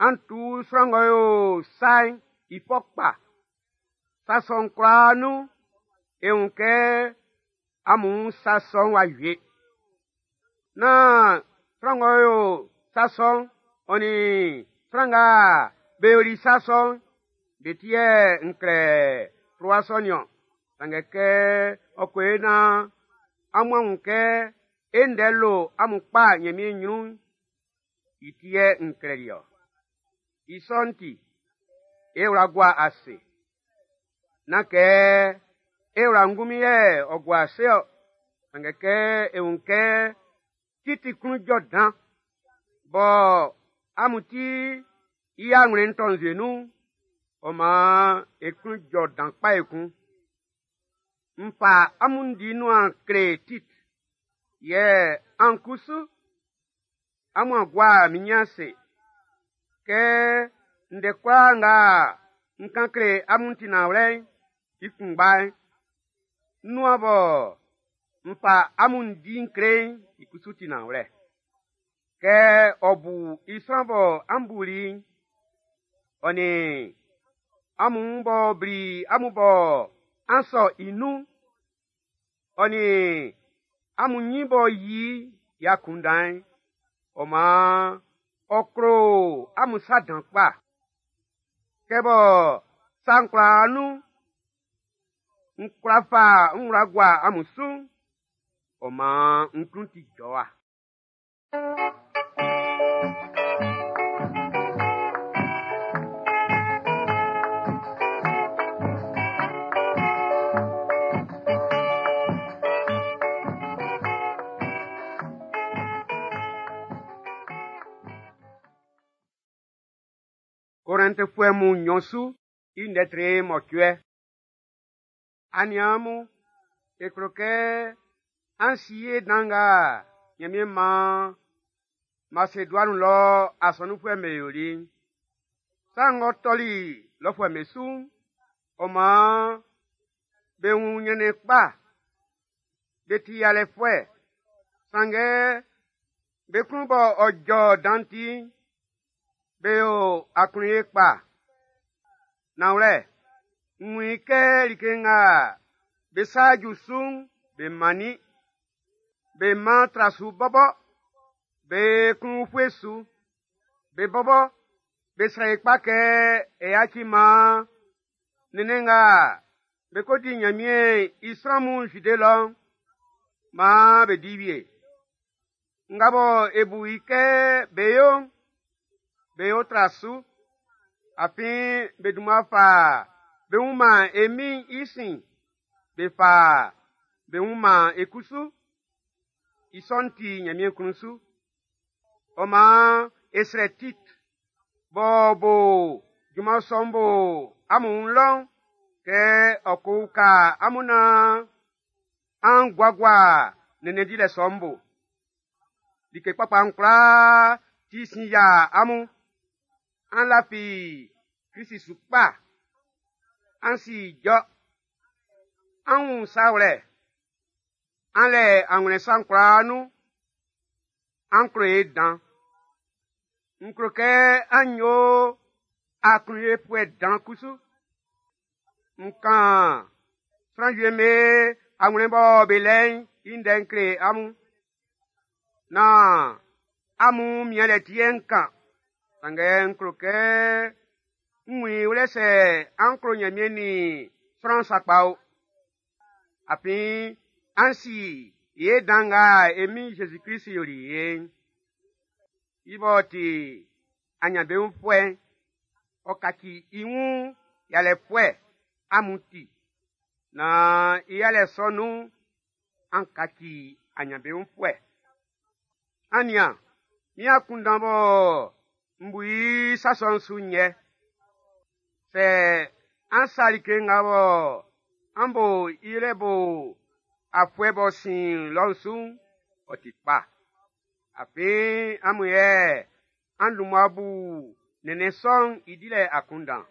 Speaker 1: An tu sran ng'ɔ yo sa'n i fɔ kpa. Sa sɔ'n kwlaa nun, e wun kɛ amun sa sɔ'n w'a wie. Nán sran ng'ɔ yo sa sɔ'n, ɔ nin sran nga be yoli sa sɔ'n, be ti yɛ n klɛ fluwa sɔ'n niɔn. Sanngɛ kɛ ɔ ko yo naan amun a wun kɛ e ndɛ lo amun kpa Ɲanmiɛn ɲrun'n, i ti yɛ n klɛli-ɔ. I sɔ'n ti, e wla gua ase. Nán kɛ e wla ngunmin yɛ ɔ gua ase-ɔ, sanngɛ kɛ e wun kɛ Titi klun jɔ dan, bɔ amun ti i anwlɛn'n tɔ nzue nun'n, ɔ maan e klun jɔ dan kpa ekun. N fa amun di nuan kle Tit, yɛ an kusu amun a gua min ɲin ase. Kɛ ndɛ kwlaa nga N kan kle amun ti nanwlɛ'n i kunngba'n. Nuan bɔ n fa amun di n kle'n i kusu ti nanwlɛ. Kɛ ɔ bu i sran bɔ an buli'n, ɔ nin amun b'ɔ bli amun bɔ an sɔ i nun, ɔ nin amun nyin b'ɔ yi i akunndan'n, ɔ maan ɔ klo amun sa dan kpa. Kɛ bɔ sa'n kwlaa nun, n kwla fa n wla gua amun su, ɔ maan n klun ti jɔwa. Korɛntifuɛ mun nnyɔn su i ndɛ tre mɔcuɛ. Aniaan mun, e klo kɛ an si ye dan nga Ɲanmiɛn maan Maseduani lɔ asɔnunfuɛ'm be yoli'n. Sa ng'ɔ tɔli lɔfuɛ'm be su'n, ɔ maan be wun ɲrɛnnɛn kpa, be ti yalɛfuɛ. Sanngɛ be klun bɔ ɔ jɔ dan ti'n, be yo aklunye kpa. Nanwlɛ, n wun i kɛ like nga be sa ju su'n, be mannin. Be man tra su bɔbɔ, be klun ufue su. Be bɔbɔ, be srɛ i kpa kɛ e yaci maan nɛnnɛn nga be ko di Ɲanmiɛn i sran mun Zide lɔ'n, maan be di wie. Nga bɔ e bu i kɛ be yo'n, be yo tra su. Afin be dunman fa be wun man e Min'n i sin, be fa be wun man e kusu. I sɔ'n ti Ɲanmiɛn klun su. Ɔ maan e srɛ Tit b'ɔ bo junman sɔ'n bo amun wun lɔ'n, kɛ ɔ ko uka amun naan an guagua nɛnnɛn dilɛ sɔ'n bo. Like kpakpa'n kwlaa ti sin yia amun. An lafi Krist su kpa. An si ijɔ. An wun sa wlɛ. An lɛ anwlɛn sa'n kwlaa nun. An klo e dan. N klo kɛ an yo aklunyefuɛ dan kusu. N kan sran wie'm be anwlɛn bɔ be lɛ i'n i ndɛ n kle amun. Nán amun mianlɛ ti yɛ n kan. Sanngɛ n klo kɛ n wun i wlɛ sɛ an klo Ɲanmiɛn nin sran sakpa o. Afin an si ye dan nga e Min Zezi Klist yoli ye'n. I b'ɔ ti aɲanbeunfuɛ'n, ɔ kaci i wun yalɛfuɛ amun ti, naan i yalɛ sɔ nun'n, an kaci aɲanbeunfuɛ. An nian, min akunndan bɔ n bu i sa sɔ'n su'n yɛ. Sɛ an sa like nga bɔ an bo i lɛ bo afuɛ b'ɔ sin lɔ'n su'n, ɔ ti kpa. Afin amun yɛ an dun mmua bu nɛnnɛn sɔ'n i dilɛ akunndan.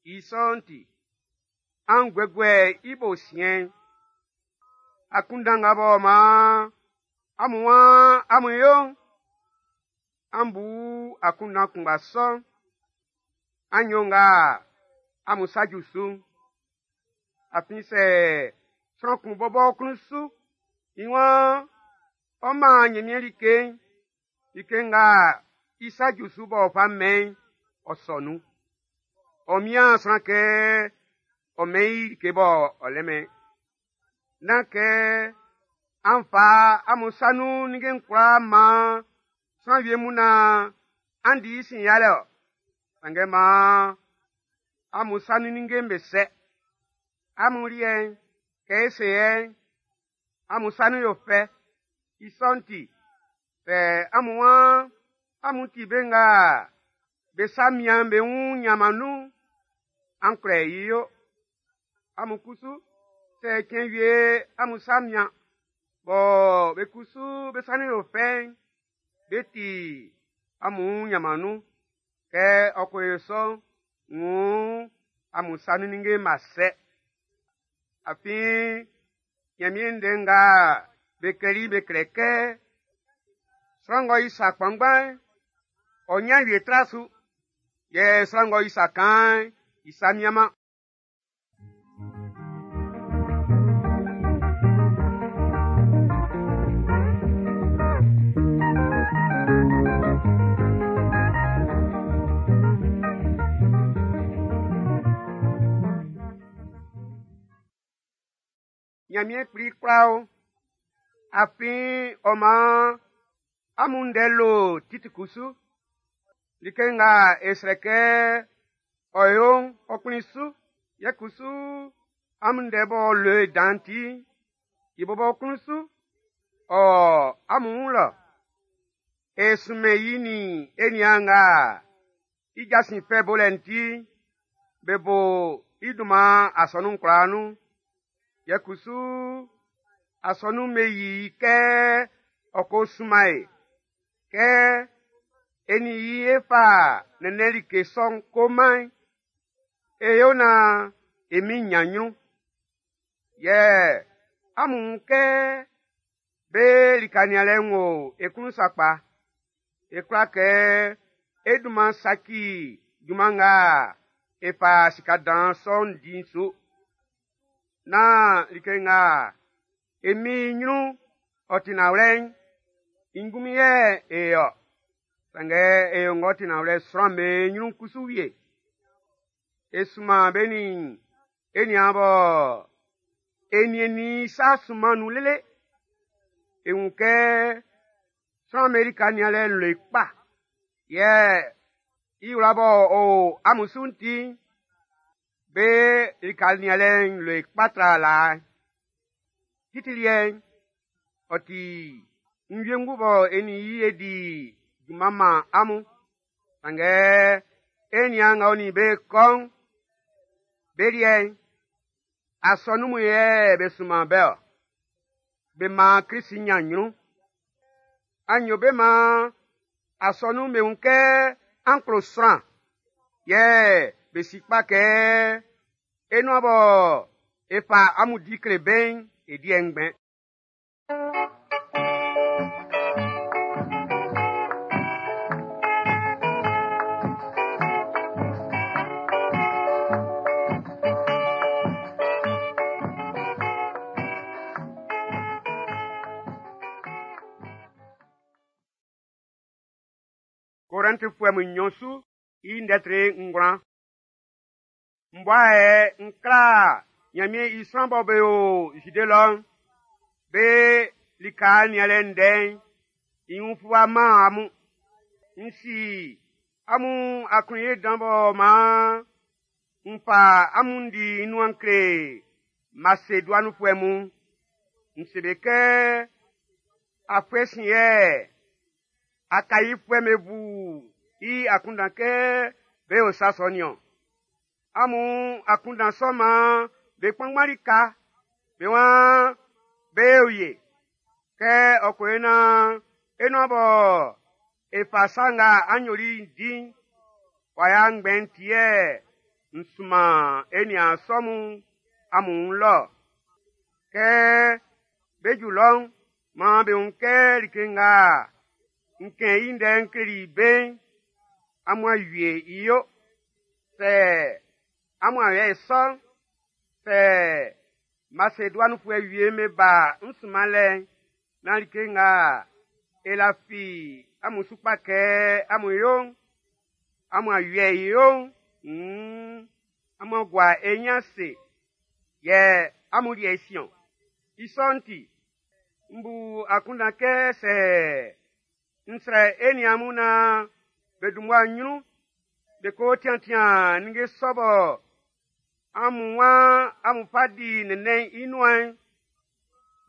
Speaker 1: I sɔ'n ti, an guɛguɛ i bo siɛn'n. Akunndan nga bɔ maan amun waan amun yo'n, an bu akunndan kunngba sɔ'n. An yo nga amun sa ju su'n. Afin sɛ sran kun bɔbɔ klun su, i waan ɔ man Ɲanmiɛn like'n, like nga i sa ju su b'ɔ fa mɛn'n, ɔ sɔ nun. Ɔ mian sran kɛ ɔ mɛn i like bɔ ɔ lɛ-mɛn. Nán kɛ an fa amun sa nun ninnge'n kwlaa man sran wie mun naan an di i sin yalɛ ɔ. Sanngɛ maan amun sa nun ninnge'm be sɛ. Amun liɛ'n, kɛ e se yɛ'n, amun sa nun yo fɛ. I sɔ'n ti, sɛ amun waan amun ti be nga be sa mian be wun ɲanman nun'n, an kwlɛ i yo. Amun kusu, sɛ cɛn wie amun sa mian, bɔ be kusu be sa nun yo fɛ'n, be ti amun wun ɲanman nun. Kɛ ɔ ko yo sɔ'n, wuun Amun sa nun ninnge'n b'a sɛ. Afin Ɲanmiɛn ndɛ nga be klɛli be kle kɛ sran ng'ɔ yi sa kpanngban'n, ɔ ɲan wie tra su. Yɛ sran ng'ɔ yi sa kaan'n, i sa mianman. Ɲanmiɛn Kpli kwla o, afin ɔ maan amun ndɛ lo Titi kusu. Like nga e srɛ kɛ ɔ yo'n, ɔ kplin su. Yɛ kusu amun ndɛ b'ɔ lo e dan'n ti'n, i bɔbɔ klun su, ɔ amun wun lɔ. E sunmɛn i nin e niaan nga i jasin fɛ bolɛ'n ti'n, be bo i dunman asɔnun kwlaa nun. Yɛ kusu asɔnun'n be yi i kɛ ɔ ko sunman e, kɛ e nin i e fa nɛnnɛn like sɔ'n ko man'n, e yo naan e Min'n ɲan ɲrun. Yɛ amun wun kɛ be lika nianlɛ'n wo e klun sakpa. E kwla kɛ e dunman saci junman nga e fa sika dan sɔ'n di'n su. Nán like nga e Min'n ɲrun ɔ ti nanwlɛ'n, i ngunmin yɛ e yo. Sanngɛ e yo ng'ɔ ti nanwlɛ sran'm be ɲrun kusu wie. E sunman be nin e niaan bɔ e niɛnnin i sa sunman nun lele. E wun kɛ sran'm be lika nianlɛ'n lo i kpa. Yɛ i wla b'ɔ o amun su'n ti'n, be lika nianlɛ'n lo i kpa tra laa'n. Titi liɛ'n, ɔ ti n wiengu bɔ e nin i e di junman man amun. Sanngɛ e niaan nga ɔ nin be kɔ'n, be liɛ'n, asɔnun mun yɛ be sunman be-ɔ. Be maan Krist ɲan ɲrun. An yo be maan asɔnun'n be wun kɛ an klo sran. Yɛ be si kpa kɛ e nuan bɔ e fa amun di kle be'n, e di ngbɛn. Korɛntifuɛ mun nnyɔn su i ndɛ tre ngwlan. M bua yɛ n kla Ɲanmiɛn i sran bɔ be o Zide lɔ'n, be lika nianlɛ ndɛ'n, i wun fluwa man amun. N si amun aklunye dan bɔ maan n fa amun di i nuan kle Maseduaninfuɛ mun. N se be kɛ afuɛ sin yɛ Akaifuɛ'm be bu i akunndan kɛ be o sa sɔ nin-ɔn. Amun akunndan sɔ man be kpanngban lika, be waan be o ye. Kɛ ɔ ko yo naan e nuan bɔ e fa sa nga an yoli'n di'n, w'a ya ngbɛn ti yɛ n sunman e niaan sɔ mun amun wun lɔ. Kɛ be ju lɔ'n, maan be wun kɛ like nga n kɛn i ndɛ'n kleli be'n, amun a wie i yo. Sɛ amun a yɛ sɔ'n, sɛ Maseduaninfuɛ wie'm be ba n sunmanlɛ'n, nán like nga e lafi amun su kpa kɛ amun yo'n, amun a wie i yo'n, mm, amun a gua e ɲin ase, yɛ amun liɛ si-ɔ. I sɔ'n ti, n bu akunndan kɛ sɛ n srɛ e niaan mun naan be dun mmua ɲrun, be ko tiantian ninnge sɔ bɔ amun waan amun fa di nɛnnɛn'n i nuan'n,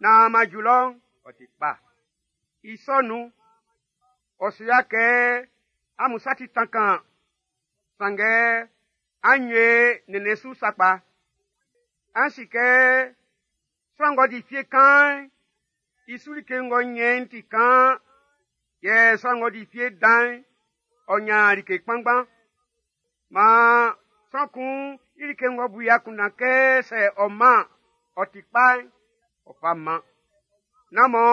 Speaker 1: naan ma ju lɔ'n, ɔ ti kpa. I sɔ nun'n, ɔ su ya kɛ amun sa ti tankaan, sanngɛ an wie nɛnnɛn su sakpa. An si kɛ sran ng'ɔ di fie kaan'n, i su like ng'ɔ ɲɛn ti kaan, yɛ sran ng'ɔ di fie dan'n, ɔ ɲan like kpanngban. Maan Sran kun i like ng'ɔ bu i akunndan kɛ sɛ ɔ man ɔ ti kpa'n, ɔ fa man. Nán mɔ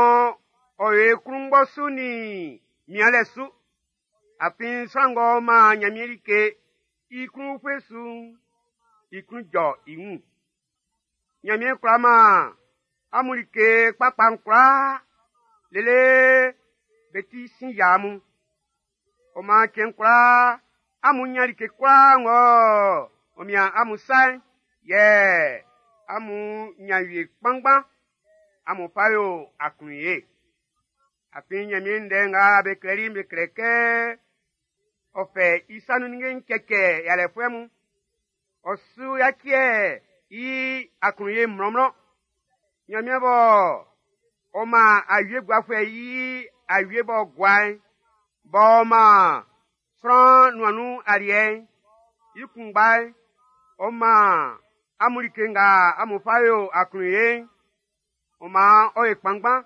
Speaker 1: ɔ yo e klunngbɔ su nin mianlɛ su. Afin sran ng'ɔ man Nyanmiɛn like i klun ufue su'n, i klun jɔ i wun. Nyanmiɛn kwla man amun like kpakpa'n kwlaa lele be ti sin yia amun. Ɔ man cɛn kwlaa amun nya like kwlaa ng'ɔ ɔ mian amun sa'n, yɛ amun nya wie kpanngban amun fa yo aklunye. Afin Nyanmiɛn ndɛ nga be klɛli'n be klɛ kɛ ɔ fɛ i sa nun ninnge'n cɛcɛ yalɛfuɛ mun. Ɔ su yaciɛ i aklunye mlɔnmlɔn. Nyanmiɛn bɔ ɔ man awie guafuɛ i awie b'ɔ gua'n, b'ɔ man sran nuan nun aliɛ'n, i kunngba'n, ɔ man amun like nga amun fa yo aklunye'n, ɔ man ɔ ye kpanngban,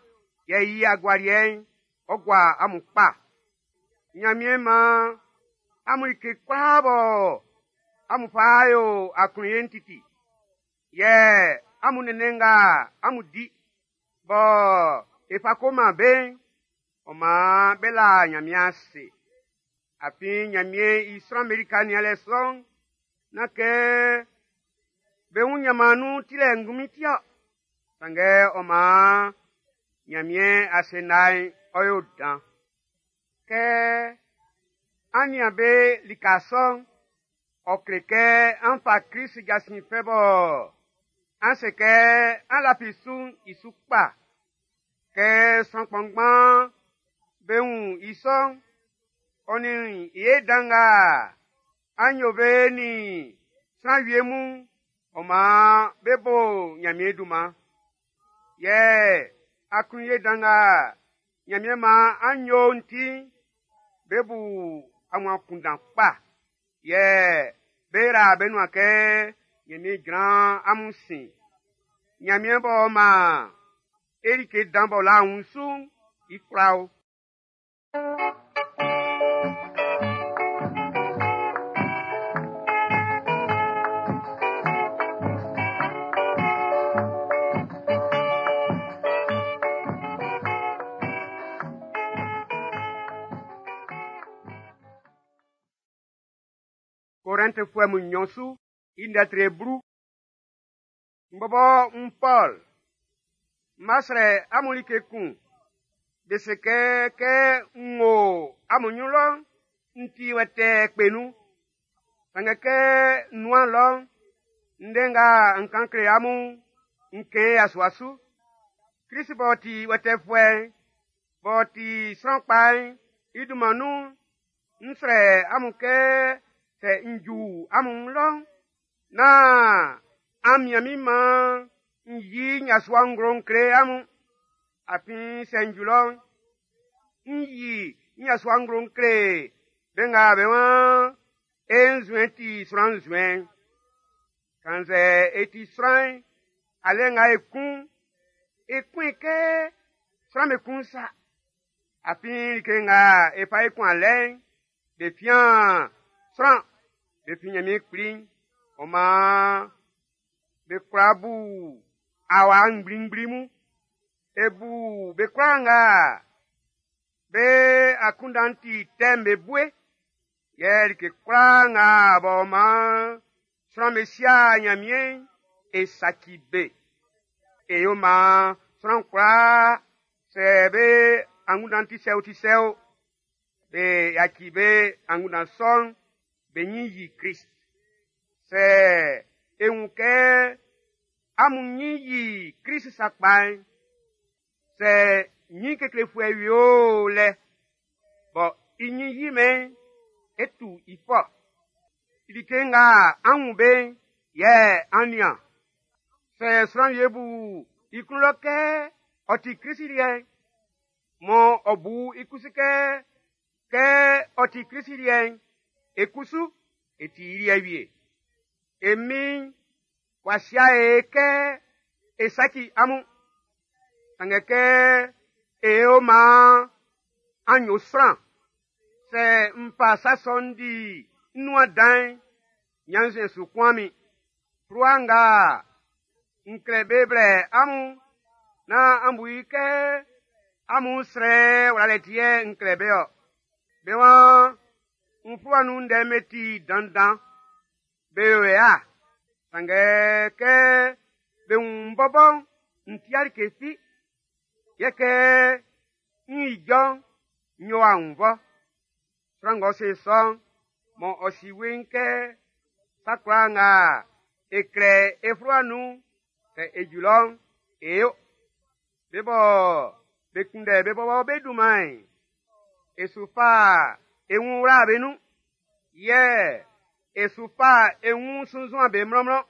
Speaker 1: yɛ i agualiɛ'n, ɔ gua amun kpa. Nyanmiɛn man amun like kwlaa bɔ amun fa yo aklunye'n titi. Yɛ amun nene nga amun di, bɔ e fa ko man be'n, ɔ man be la Nyanmiɛn ase. Afin Nyanmiɛn i sran'm be lika nianlɛ sɔ'n, nán kɛ be wun nyanman nun tilɛ ngunmin ti-ɔ. Sanngɛ ɔ man Nyanmiɛn asenna'n ɔ yo dan. Kɛ an nian be lika sɔ'n, ɔ kle kɛ an fa Krist jasin fɛ bɔ an se kɛ an lafi su'n i su kpa. Kɛ sran kpanngban be wun i sɔ'n, ɔ nin i ye dan nga an yo be nin sran wie mun, ɔ man be bo Nyanmiɛn dunman. Yɛ aklunye dan nga Nyanmiɛn man an yo'n ti'n, be bu amun akunndan kpa. Yɛ be ra be nuan kɛ Nyanmiɛn jran amun sin. Nyanmiɛn b'ɔ man e like dan b'ɔ la wun su'n, i kwla o. Korɛntifuɛ mun nnyɔn su i ndɛtre blu. M bɔbɔ n Pɔl, m ma srɛ amun like kun. Be se kɛ kɛ n wo amun nyrun lɔ'n, n ti wɛtɛɛ kpe nun. Sanngɛ kɛ n nuan lɔ'n, ndɛ nga n kan kle amun'n, n kɛn i asua su. Krist b'ɔ ti wɛtɛfuɛ'n, b'ɔ ti sran kpa'n, i dunman nun'n, n srɛ amun kɛ sɛ n ju amun lɔ'n, nán an mian min man n yi n yasua nglo n kle amun. Afin sɛ n ju lɔ'n, n yi n yasua nglo n kle be nga be waan e nzuɛn ti sran nzuɛn. Kannzɛ e ti sran'n, alɛ nga e kun'n, e kun i kɛ sran be kun sa. Afin like nga e fa e kun alɛ'n, be fian sran, be fi Nyanmiɛn kpli'n, ɔ man be kwla bu awa ngblingbli mun. E bu be kwlaa nga be akunndan'n ti tɛ'n be bue. Yɛ like kwlaa nga b'ɔ man sran be sia Nyanmiɛn'n, e saci be. E yo man sran kwlaa sɛ be angunndan ti sɛ o ti sɛ o, be yaci be angunndan sɔ'n, be nyin yi Krist. Sɛ e wun kɛ amun nyin yi Krist sakpa'n, sɛ nyin keklefuɛ wie o lɛ, bɔ i nyin yi mɛn, e tu i fɔ. Like nga an wun be'n, yɛ an nian. Sɛ sran wie bu i klun lɔ kɛ ɔ ti Krist liɛ'n, mɔ ɔ bu i kusu kɛ, kɛ ɔ ti Krist liɛ'n, e kusu e ti i liɛ wie. E Min'n w'a sia e kɛ e saci amun. Sanngɛ kɛ e yo maan an yo sran, sɛ n fa sa sɔ'n di n nuan dan'n, Ɲannzuɛn su kunman min. Fluwa nga n klɛ be blɛ amun, nán an bu i kɛ amun srɛ wlalɛ ti yɛ n klɛ be ɔ. Be waan n fluwa nun ndɛ'm be ti dandan, be yo ya. Sanngɛ kɛ be wun n bɔbɔ'n, n ti'a like fi. Yɛ kɛ n ijɔ'n, n yo annvɔ. Sran ng'ɔ se sɔ'n, mɔ ɔ si weiin kɛ sa kwlaa nga e klɛ e fluwa nun'n, sɛ e ju lɔ'n, e yo. Be bɔ be kunndɛ be bɔbɔ be dunman'n, e su fa e wun wla be nun. Yɛ e su fa e wun sunnzun be mlɔnmlɔn.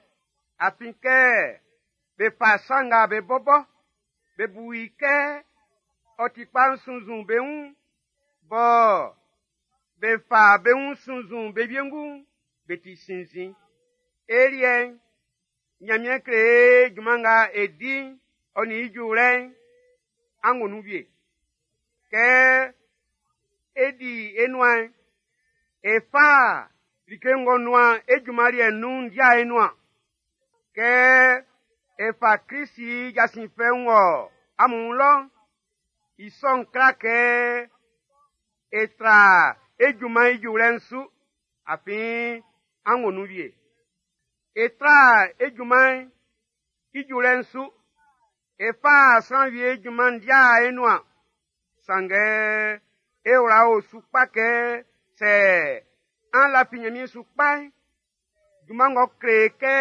Speaker 1: Afin kɛ be fa sa nga be bɔbɔ be bu i kɛ ɔ ti kpa'n sunnzun be wun, bɔ be fa be wun sunnzun be wiengu'n, be ti sinnzin. E liɛ'n, Ɲanmiɛn kle e junman nga e di'n, ɔ nin i juwlɛ'n, an wo nun wie. Kɛ e di e nuan'n, e fa like ng'ɔ nuan e junman liɛ'n nun dia e nuan. Kɛ e fa Krisi jasin fɛ'n wɔ amun lɔ'n, i sɔ'n kla kɛ e tra e junman i juwlɛ'n su, afin an wo nun wie. E tra e junman'n i juwlɛ'n su, e fa sran wie junman dia e nuan. Sanngɛ e wla o su kpa kɛ sɛ an lafi Ɲanmiɛn su kpa'n, junman ng'ɔ kle kɛ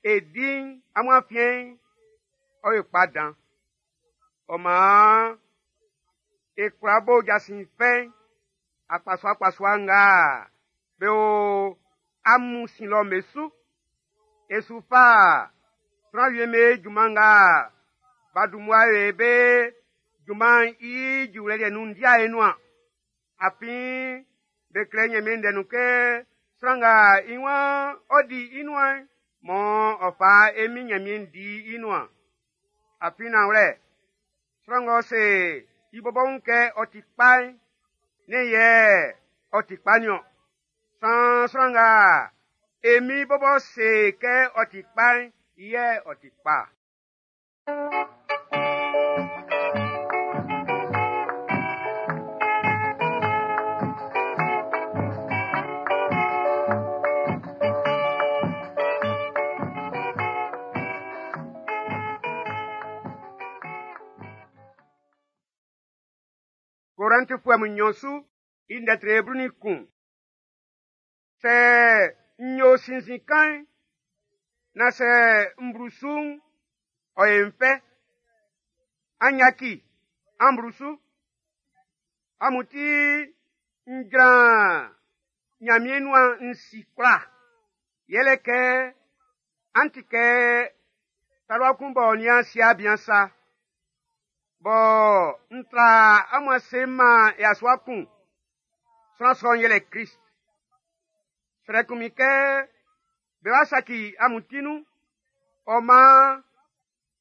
Speaker 1: e di'n amun afiɛn'n, ɔ yo kpa dan. Ɔ maan e kwla bo jasin fɛ'n akpasuaakpasua nga be o amun sin lɔ'n be su. E su fa sran wie'm be junman nga b'a dun mmua be be junman'n i juwlɛ liɛ nun dia e nuan. Afin be klɛ Ɲanmiɛn ndɛ nun kɛ sran nga i waan ɔ di i nuan'n, mɔ ɔ fa e Min Ɲanmiɛn di i nuan. Afin nanwlɛ, sran ng'ɔ se i bɔbɔ wun kɛ ɔ ti kpa'n, nɛ́n yɛ ɔ ti kpa niɔn. San sran nga e Min bɔbɔ se kɛ ɔ ti kpa'n, i yɛ ɔ ti kpa. Korɛntifuɛ mun nnyɔn su i ndɛtre blu nin kun. Sɛ n yo sinnzin kan'n, na sɛ n blu su'n, ɔ ye n fɛ. An yaki, an blu su. Amun ti n jran Ɲanmiɛn nuan n si kwla. Yɛlɛ kɛ an ti kɛ talua kun b'ɔ nian si'a bian sa. Bɔ n tra amun ase man yasua kun. Sran sɔ'n yɛlɛ Krist. Srɛ kun min kɛ be wa saci amun ti nun. Ɔ maan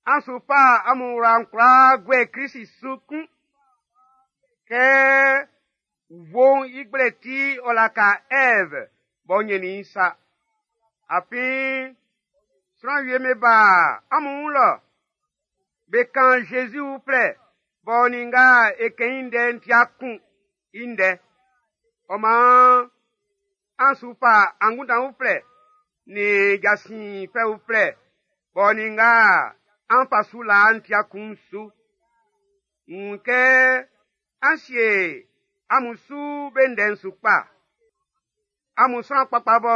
Speaker 1: an su fa amun wla'n kwlaa guɛ Krist su kun. Kɛ wuo'n i gblɛ ti ɔ laka Ɛv b'ɔ nyɛnnin i sa. Afin sran wie me ba amun wun lɔ. Be kan Jésus uflɛ b'ɔ nin nga e kɛn i ndɛ'n tia kun i ndɛ. Ɔ maan an su fa angunndan uflɛ nin jasin fɛ uflɛ b'ɔ nin nga an fa su laa'n tia kun su. N wun kɛ an sie amun su be ndɛ'n su kpa. Amun sran kpakpa bɔ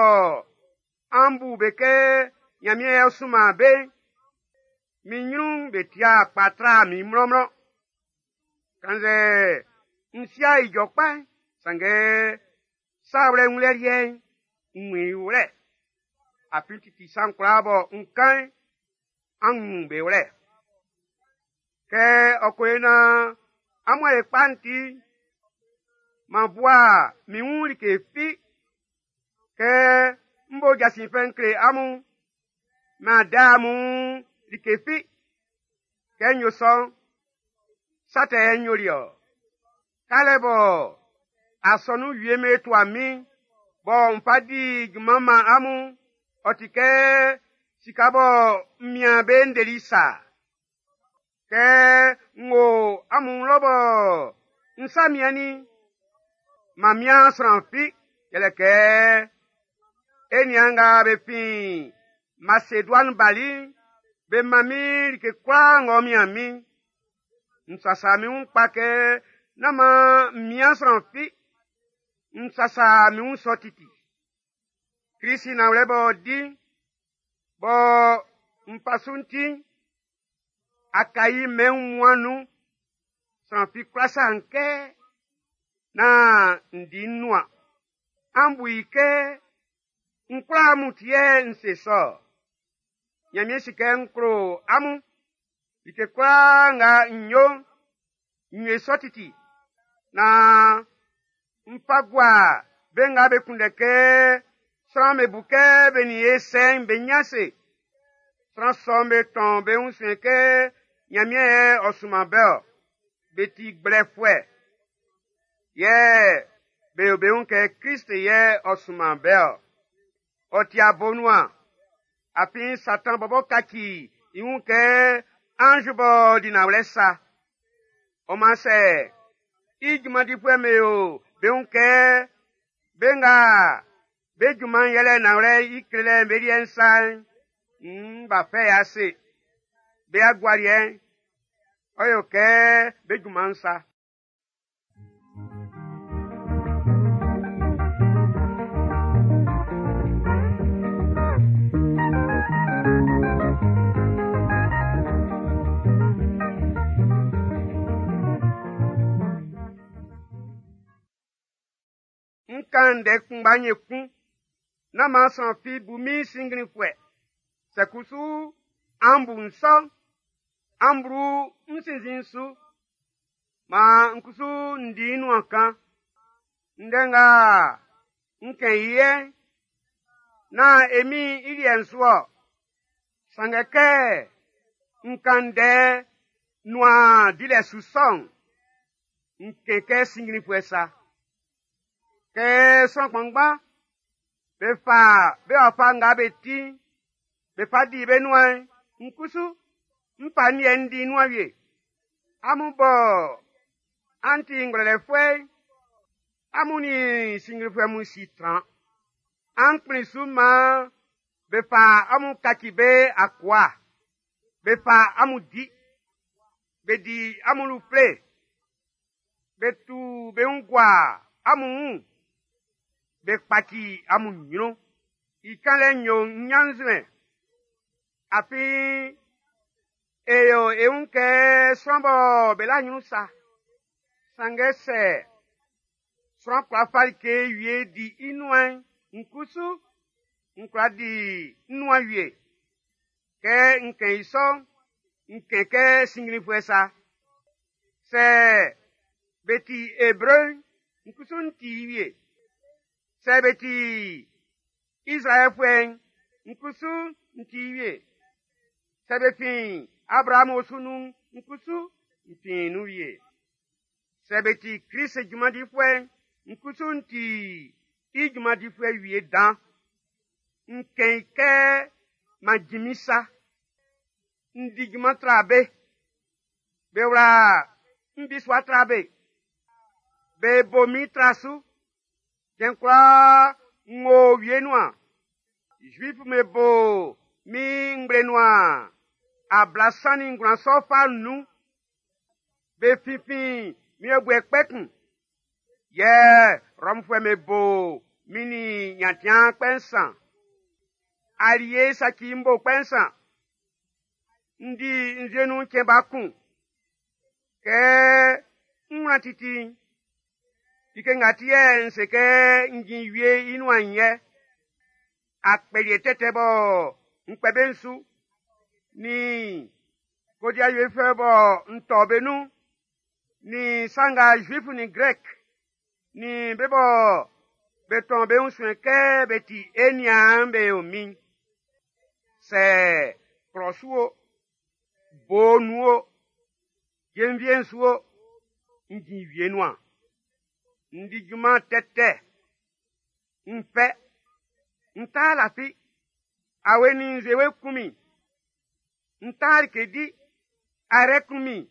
Speaker 1: an bu be kɛ Ɲanmiɛn yɛ ɔ sunman be'n, min ɲrun'n be tia kpa tra min mlɔnmlɔn. Kannzɛ n si'a ijɔ kpa'n, sanngɛ sa wlɛ wunlɛ liɛ'n, n wun i wlɛ. Afin titi sa'n kwlaa bɔ n kan'n, an wun be wlɛ. Kɛ ɔ ko yo naan amun a ye kpa'n ti, m'an bua min wun like fi. Kɛ n bo jasin fɛ'n kle amun, m'an da amun like fi. Kɛ n yo sɔ'n, sa tɛ yɛ n yoli ɔ. Kalɛ bɔ asɔnun wie me tua min, Bɔ n fa di junman man amun, ɔ ti kɛ sika bɔ n mian be n deli sa. Kɛ n wo amun lɔ bɔ n sa miannin, m'an mian sran fi, yɛlɛ kɛ e niaan nga be fin Maseduani bali'n, be man min like kwlaa ng'ɔ mian min. N sasa min wun kpa kɛ nán man n mian sran fi. N sasa min wun sɔ titi. Krisi nanwlɛ b'ɔ di, bɔ n fa su'n ti'n, Akayi mɛn wunmuan'n nun, sran fi kwla sa n kɛ nán n di n nuan. An bu i kɛ n kwla amun ti yɛ n se sɔ. Ɲanmiɛn si kɛ n klo amun. Like kwlaa nga n yo'n, n yo i sɔ titi. Naan n fa gua be nga be kunndɛ kɛ sran'm be bu kɛ be nin e sɛ'n be ɲin ase. Sran sɔ'm be tɔn be wun suɛn kɛ Ɲanmiɛn yɛ ɔ sunman be-ɔ. Be ti gblɛfuɛ. Yɛ be yo be wun kɛ Krist yɛ ɔ sunman be-ɔ. Ɔ ti abonuan. Afin Satan bɔbɔ kaci i wun kɛ anz b'ɔ di nanwlɛ sa. Ɔ man sɛ i junman difuɛ'm be yo be wun kɛ be nga be junman'n yɛlɛ nanwlɛ i klelɛ'n be liɛ'n sa'n, nn b'a fɛ i ase. Be agualiɛ'n, ɔ yo kɛ be junman'n sa. N kan ndɛ kunngba nye kun, nán man sran fi bu min sinnglinfuɛ. Sɛ kusu an bu n sɔ, an blu n sinnzin'n su. Maan n kusu n di n nuan kan. Ndɛ nga n kɛn i yɛ'n, nán e Min'n i liɛ'n su-ɔ. Sanngɛ kɛ n kan ndɛ nuan dilɛ su sɔ'n, n kɛn kɛ sinnglinfuɛ sa. Kɛ sran kpanngban be fa be wafa nga be ti'n, be fa di be nuan'n, n kusu n fa n liɛ'n n di n nuan wie. Amun bɔ an ti ngwlɛlɛfuɛ'n, amun nin sinnglinfuɛ mun si tran. An kplin su maan be fa amun kaci be akua, be fa amun di, be di amun lufle, be tu be wun gua amun wun, be kpaci amun ɲrun. I kanlɛ'n yo n ɲannzuɛn. Afin e yo e wun kɛ sran bɔ be la ɲrun sa. Sanngɛ sɛ sran kwla fa like wie di i nuan'n, n kusu n kwla di n nuan wie. Kɛ n kɛn i sɔ'n, n kɛn kɛ sinnglinfuɛ sa. Sɛ be ti Ebre'n, n kusu n ti wie. Sɛ be ti Izraɛlfuɛ'n, n kusu n ti wie. Sɛ be fin Abraamu osu nun'n, n kusu n fin nun wie. Sɛ be ti Krist junman difuɛ'n, n kusu n ti i junman difuɛ wie dan. N kɛn i kɛ m'an jinmin sa. N di junman tra be. Be wla n bisua tra be. Be bo min tra su. Cɛn kwlaa n wo wie nuan. Zuif'm be bo min ngble nuan ablasan nin ngwlan sɔ fa nnun. Be finfin min yɔbuɛ kpɛ kun. Yɛ Rɔmfuɛ'm be bo min nin nyantiaan kpɛ nsan. Alie saci n bo kpɛ nsan. N di nzue nun cɛn ba kun. Kɛ n wlan titi'n, like nga ti yɛ n se kɛ n jin wie i nuan'n yɛ. Akpɛliɛ tɛtɛ bɔ n kpɛ be su, nin kodiawiefuɛ bɔ n tɔ be nun, nin sa nga Zuif nin Grɛk, nin be bɔ be tɔn be wun suɛn kɛ be ti e niaan'n be yo min. Sɛ klɔ su o, bo nun o, jenvie'n su o, n jin wie nuan. N di junman tɛtɛ. N fɛ, n ta lafi, awe ni nzuewe kun min. N ta like di, ayrɛ kun min.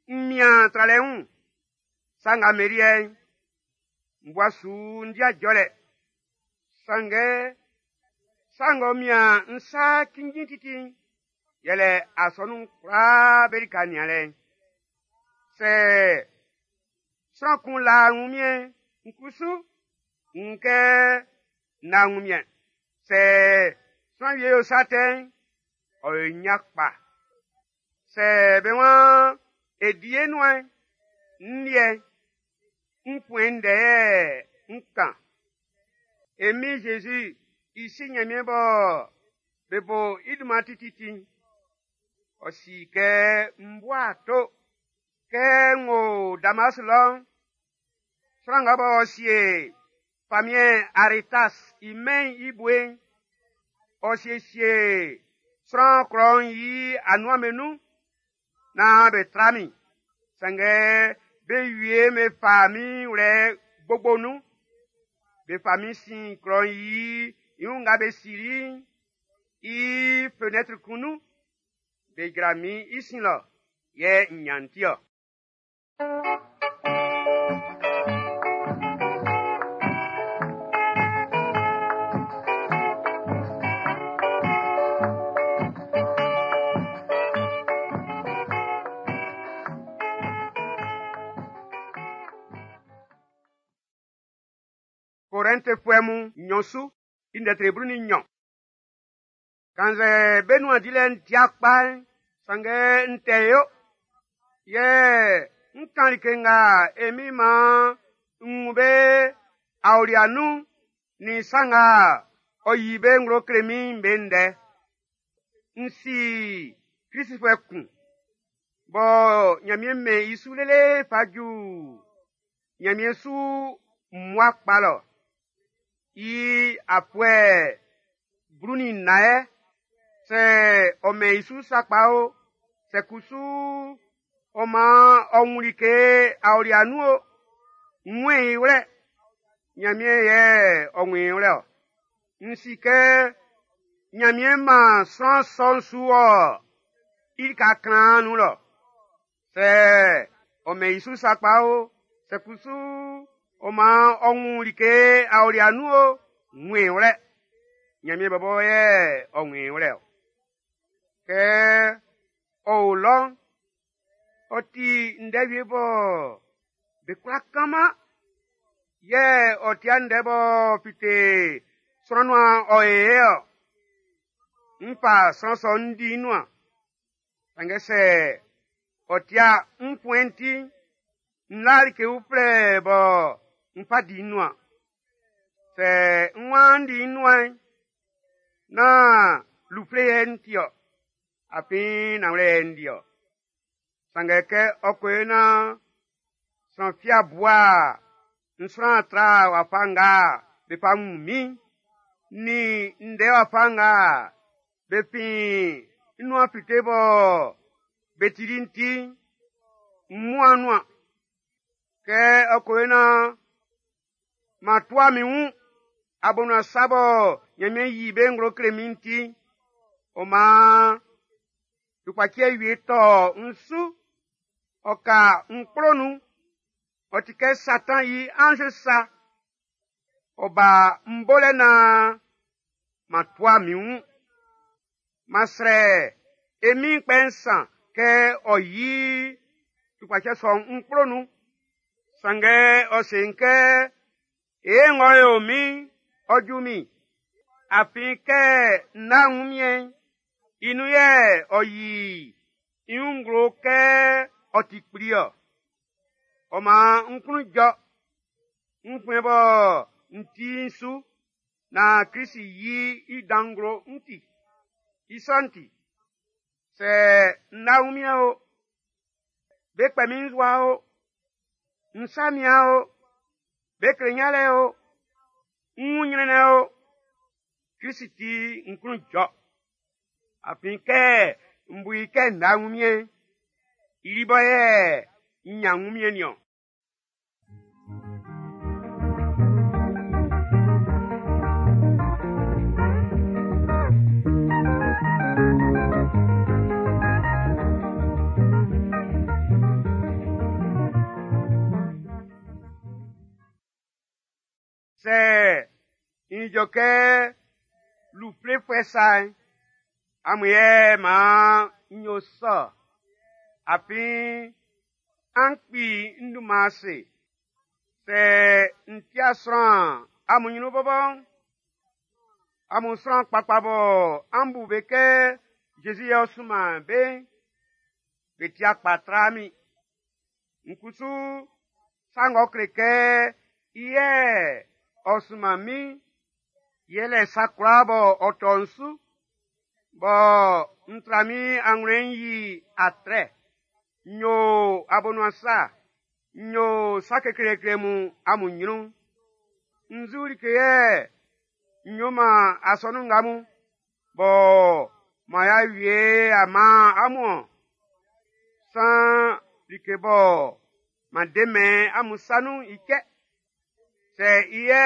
Speaker 1: N mian tralɛ wun, sa nga me liɛ'n, n bua su n di jɔlɛ. Sanngɛ, sa ng'ɔ mian n sa cinnjin titi'n, yɛlɛ asɔnun kwlaa be lika nianlɛ'n. Sɛ sran kun la wunmiɛn, n kusu n wun kɛ n la wunmiɛn. Sɛ sran wie yo sa tɛ'n, ɔ yo nya kpa. Sɛ be waan e di e nuan'n, n liɛ'n, n fuɛn ndɛ yɛ n kan. E Min Jésus i si Nyanmiɛn bɔ be bo i dunman tititi'n, ɔ si kɛ n bua ato. Kɛ n wo Damas lɔ'n, sran nga b'ɔ sie famiɛn Aretas i mɛn'n i bue'n, ɔ siesie sran klɔ'n i anuan'm be nun naan be tra min. Sanngɛ be wie me fa min wlɛ gbogbo nun. Be fa min sin klɔ'n i i wun nga be sili'n i fenɛtri kun nun. Be jra min i sin lɔ, yɛ n nyan ti-ɔ. Korɛntifuɛ mun nnyɔn su i ndɛtri blu ni nnyɔn. Kannzɛ be nuan dilɛ'n ti kpa'n, sanngɛ n tɛ yo. Yɛ n kan like nga e min maan n wun be aolia nun nin sa nga ɔ yi be nglo kle min'n be ndɛ. N si Klistfuɛ kun bɔ Nyanmiɛn mɛn i su lele fa ju Nyanmiɛn su mmua kpa lɔ. I afuɛ blu ni nnan yɛ, sɛ ɔ mɛn i su sakpa o, sɛ kusu ɔ man ɔ wun like aolia nun o, n wun i wlɛ. Nyanmiɛn yɛ ɔ wun i wlɛ-ɔ. N si kɛ Nyanmiɛn man sran sɔ'n su ɔ i lika kaan nun lɔ. Sɛ ɔ mɛn i su sakpa o, sɛ kusu ɔ man ɔ wun like aolia nun o, n wun i wlɛ. Nyanmiɛn bɔbɔ yɛ ɔ wun i wlɛ-ɔ. Kɛ ɔ o lɔ'n, ɔ ti ndɛ wie bɔ be kwla kanman. Yɛ ɔ tia ndɛ bɔ fite sran nuan ɔ e ɔ. N fa sran sɔ'n n di nuan. Sanngɛ sɛ ɔ tia n fuɛn ti, n la like uflɛ bɔ n fa di nuan. Sɛ n waan n di nuan'n, nán lufle yɛ n ti-ɔ, afin nanwlɛ yɛ n di-ɔ. Sanngɛ kɛ ɔ ko yo naan sran fia bua n sran tra wafa nga be fa wun min'n, nin ndɛ wafa nga be fin n nuan fite bɔ be tili'n ti'n, n muan nuan. Kɛ ɔ ko yo naan ma tua min wun abonuan sa bɔ Nyanmiɛn yi be nglo kle min'n ti'n, ɔ maan tukpaciɛ wie tɔ n su, ɔ ka n kplo nun, ɔ ti kɛ Satan i anz sa. Ɔ ba n bolɛ naan ma tua min wun. Ma srɛ e min kpɛ nsan kɛ ɔ yi tukpaciɛ sɔ'n n kplo nun. Sanngɛ ɔ se n kɛ, e ng'ɔ yo min, ɔ ju min. Afin kɛ n na wunmiɛn'n, i nun yɛ ɔ yi i wun nglo kɛ ɔ ti kpli-ɔ. Ɔ maan n klun jɔ, n fuɛn bɔ n ti'n su, naan Krist yi i dan nglo n ti. I sɔ'n ti, sɛ n na wunmiɛn o, be kpɛ min nzua o, n sa mian o, be kle nyanlɛ o, n wun nyrɛnnɛn o, Krist ti n klun jɔ. Afin kɛ n bu i kɛ n na wunmiɛn, i li bɔ yɛ n nyan wunmiɛn niɔn. N ijɔ kɛ luflefuɛ sa'n, amun yɛ maan n yo sɔ. Afin an kpi n dunman ase. Sɛ n tia sran amun ɲrun bɔbɔ'n, amun sran kpakpa bɔ an bu be kɛ Zezi yɛ ɔ sunman be'n, be tia kpa tra min. N kusu sa ng'ɔ kle kɛ i yɛ ɔ sunman min, yɛlɛ sa kwlaa bɔ ɔ tɔ n su, bɔ n tra min anwlɛn'n yi atrɛ, n yo abonuan sa, n yo sa kekleekle mun amun ɲrun. Nzu like yɛ n yo man asɔnun nga mun, bɔ man y'a wie a man amun ɔ. San like bɔ man demɛn amun sa nun i cɛ. Sɛ i yɛ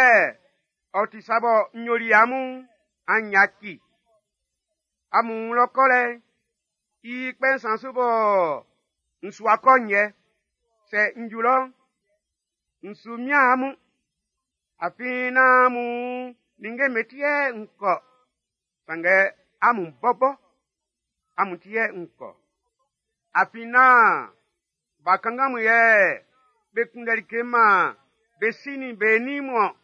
Speaker 1: ɔ ti sa bɔ n yoli amun, an yaci. Amun wun lɔ kɔlɛ, i kpɛ nsan su bɔ n su akɔ nyɛ. Sɛ n ju lɔ, n su mian amun. Afin nán amun ninnge me ti yɛ n kɔ. Sanngɛ amun bɔbɔ, amun ti yɛ n kɔ. Afin nán ba kanngan mun yɛ be kunndɛ like man be si nin be nin mun ɔ.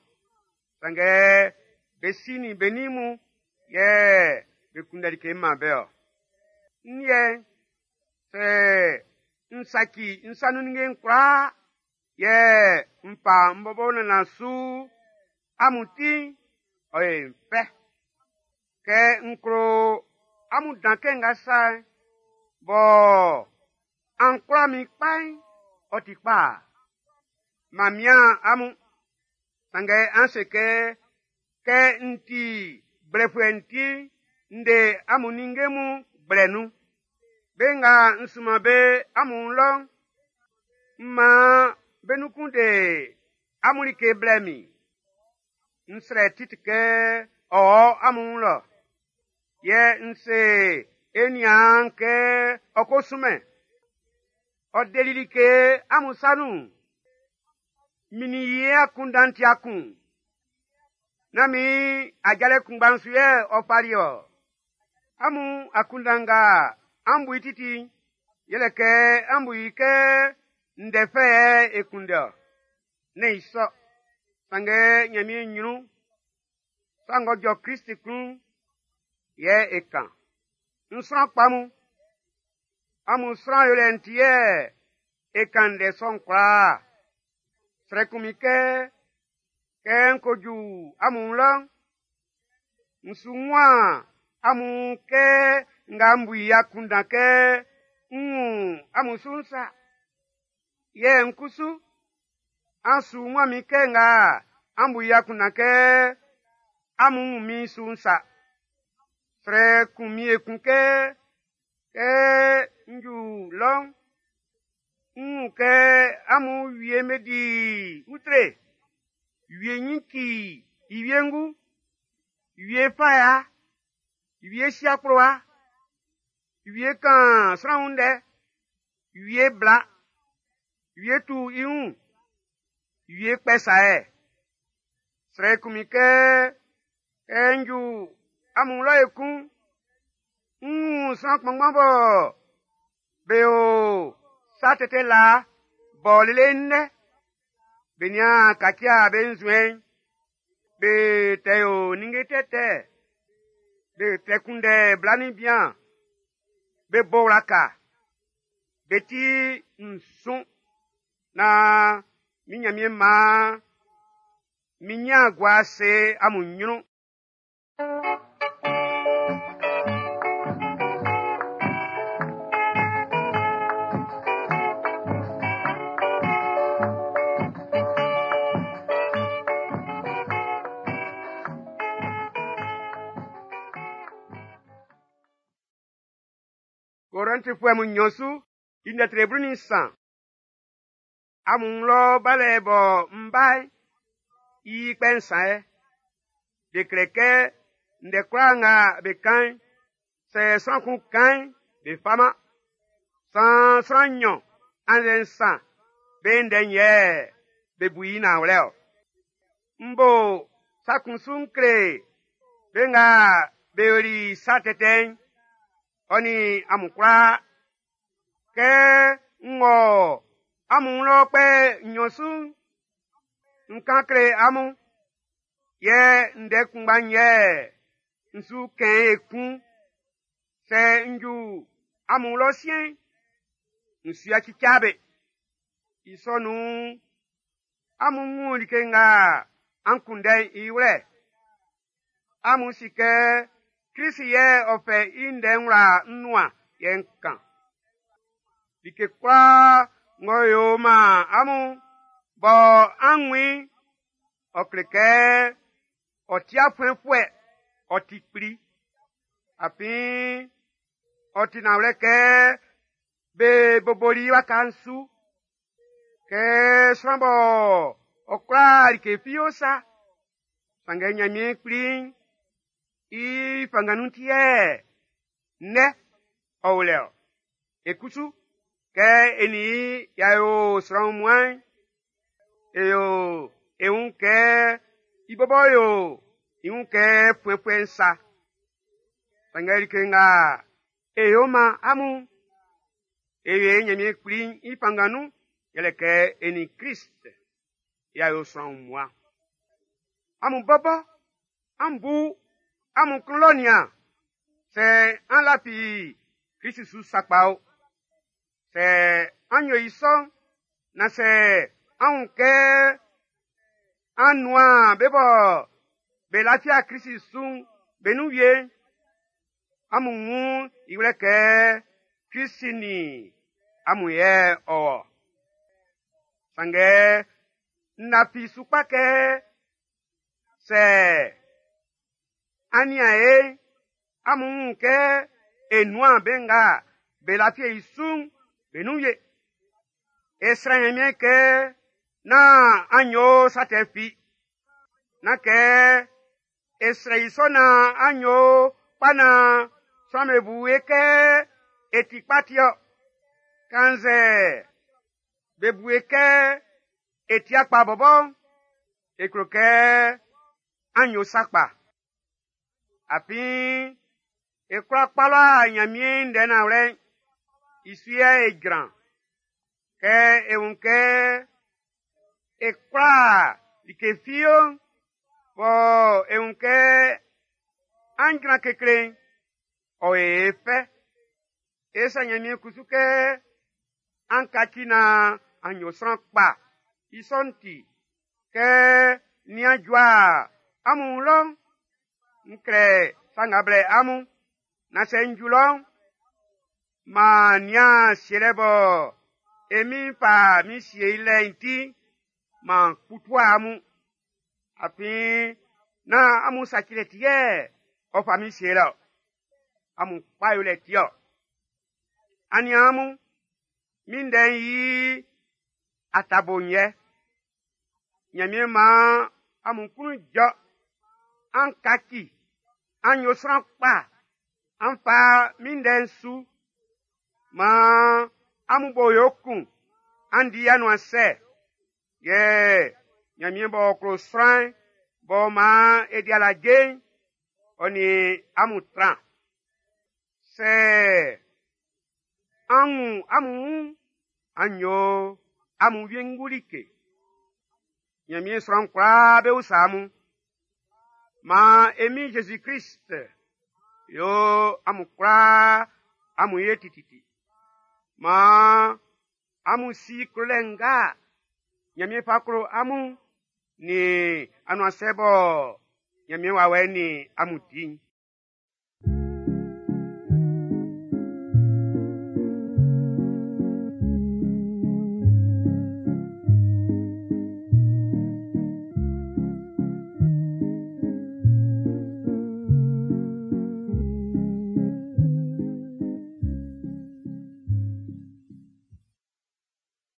Speaker 1: Sanngɛ be si nin be nin mun yɛ be kunndɛ like man be ɔ. N yɛ sɛ n saci n sa nun ninnge'n kwlaa yɛ n fa n bɔbɔ nannan su amun ti'n, ɔ ye n fɛ. Kɛ n klo amun dan kɛ nga sa'n, bɔ an kwla min kpa'n, ɔ ti kpa. Ma mian amun, sanngɛ an se kɛ, kɛ n ti gblɛfuɛ'n ti, n de amun ninnge mun gblɛ nun. Be nga n sunman be amun lɔ'n, n man be nun kun de amun like blɛ min. N srɛ Titi kɛ ɔ wɔ amun wun lɔ. Yɛ n se e niaan kɛ ɔ ko sunmɛn. Ɔ deli like amun sa nun. Min nin i akunndan ti akun. Nán min ajalɛ kunngba'n su yɛ ɔ fali ɔ. Amun akunndan nga an bu i titi'n, yɛlɛ kɛ an bu i kɛ ndɛ fɛ yɛ e kunndɛ ɔ. Nɛ́n i sɔ. Sanngɛ Ɲanmiɛn ɲrun, sa ng'ɔ jɔ Krist klun yɛ e kan. N sran kpa mun, amun sran yolɛ'n ti yɛ e kan ndɛ sɔ'n kwlaa. Srɛ kun min kɛ, kɛ n ko ju amun lɔ'n, n su wun amun kɛ nga n bu i akunndan kɛ n wun amun su'n sa. Yɛ n kusu, an su wun min kɛ nga an bu i akunndan kɛ amun wun min su'n sa. Srɛ kun min ekun kɛ, kɛ n ju lɔ'n, n wun kɛ amun wie me di utre, wie nyin ci i wiengu, wie fa ya, wie si akplowa, wie kan sran wun ndɛ, wie bla, wie tu i wun, wie kpɛ saɛ. Srɛ kun min kɛ, kɛ n ju amun lɔ ekun, n wun sran kpanngban bɔ be o sa tɛtɛ la bɔ lele nnɛ. Be nian kacia be nzuɛn, be tɛ yo ninnge tɛtɛ, be tɛ kunndɛ bla nin bian, be bo wlaka, be ti nsun na min Ɲanmiɛn maan min ɲin gua ase amun ɲrun. Korɛntifuɛ mun nnyɔn su, i ndɛtire blu nin nsan. Amun lɔ balɛ bɔ n ba'n, i kpɛ nsan yɛ. Be kle kɛ ndɛ kwlaa nga be kan'n, sɛ sran kun kan'n, be faman. San sran nnyɔn annzɛ nsan be ndɛ'n yɛ be bu i nanwlɛ ɔ. N bo Sa kun su n kle be nga be yoli sa tɛtɛ'n, ɔ nin amun kwlaa. Kɛ n wɔ amun wun lɔ kpɛ nnyɔn su'n, n kan kle amun, yɛ ndɛ kunngba'n yɛ n su kɛn ekun. Sɛ n ju amun wun lɔ siɛn'n, n su yaci ca be. I sɔ nun'n, amun wun like nga an kunndɛ'n i wlɛ. Amun si kɛ Krist yɛ ɔ fɛ i ndɛ'n wla n nuan yɛ n kan. Like kwlaa ng'ɔ yo man amun bɔ an wun i'n, ɔ kle kɛ ɔ ti afuɛnfuɛ, ɔ ti kpli. Afin ɔ ti nanwlɛ kɛ be boboli i waka'n su kɛ sran bɔ ɔ kwla like fi yo sa. Sanngɛ Nyanmiɛn kpli'n i fanngan nun ti yɛ ndɛ ɔ o lɛ-ɔ. E kusu, kɛ e nin i y'a yo sran wunmuan'n, e yo e wun kɛ i bɔbɔ yo i wun kɛ fuɛnfuɛ'n sa. Sanngɛ like nga e yo man amun, e yo e Nyanmiɛn kpli'n i fanngan nun, yɛlɛ kɛ e nin Krist y'a yo sran wunmuan. Amun bɔbɔ, an bu amun klun lɔ nian, sɛ an lafi Krist su sakpa o. Sɛ an yo i sɔ'n, na sɛ an wun kɛ an nuan be bɔ be lafia Krist su'n be nun wie'n, amun wun i wlɛ kɛ Krist nin amun yɛ ɔ wɔ. Sanngɛ n lafi su kpa kɛ sɛ an nian e, amun wun kɛ e nuan be nga be lafi i su'n be nun wie. E srɛ Nyanmiɛn kɛ nán an yo sa tɛ fi. Nán kɛ e srɛ i sɔ naan an yo kpa naan sran'm be bu e kɛ e ti kpa ti-ɔ. Kannzɛ be bu e kɛ e ti akpa bɔbɔ'n, e klo kɛ an yo sa kpa. Afin e kwla kpala Nyanmiɛn ndɛ nanwlɛ'n, i su yɛ e jran. Kɛ e wun kɛ e kwla like fi yo'n, bɔ e wun kɛ an jran kekle'n, ɔ yo e fɛ. E srɛ Nyanmiɛn kusu kɛ an kaci naan an yo sran kpa. I sɔ'n ti, kɛ nian jua amun wun lɔ'n, n klɛ sa nga blɛ amun, na sɛ n ju lɔ'n, maan nian sielɛ bɔ e min fa min sie i lɛ'n ti, maan kputua amun. Afin nán amun sacilɛ ti yɛ ɔ fa min sie lɛ-ɔ. Amun kpa yolɛ ti-ɔ. Aniaan mun, min ndɛ'n yi atabo'n yɛ. Nyanmiɛn maan amun klun jɔ, an kaci, an yo sran kpa, an fa min ndɛ'n su. Maan amun bo yo kun, an di anuan sɛ. Yɛ Nyanmiɛn b'ɔ klo sran'n, b'ɔ maan e di alaje'n, ɔ nin amun tran. Sɛ an wun amun wun, an yo amun wiengu like. Nyanmiɛn sran kwlaa be usa amun. Maan e Min Jésus Krist yo amun kwlaa amun ye tititi. Maan amun si klolɛ nga Nyanmiɛn fa klo amun nin anuansɛ bɔ Nyanmiɛn wawɛ'n nin amun di'n.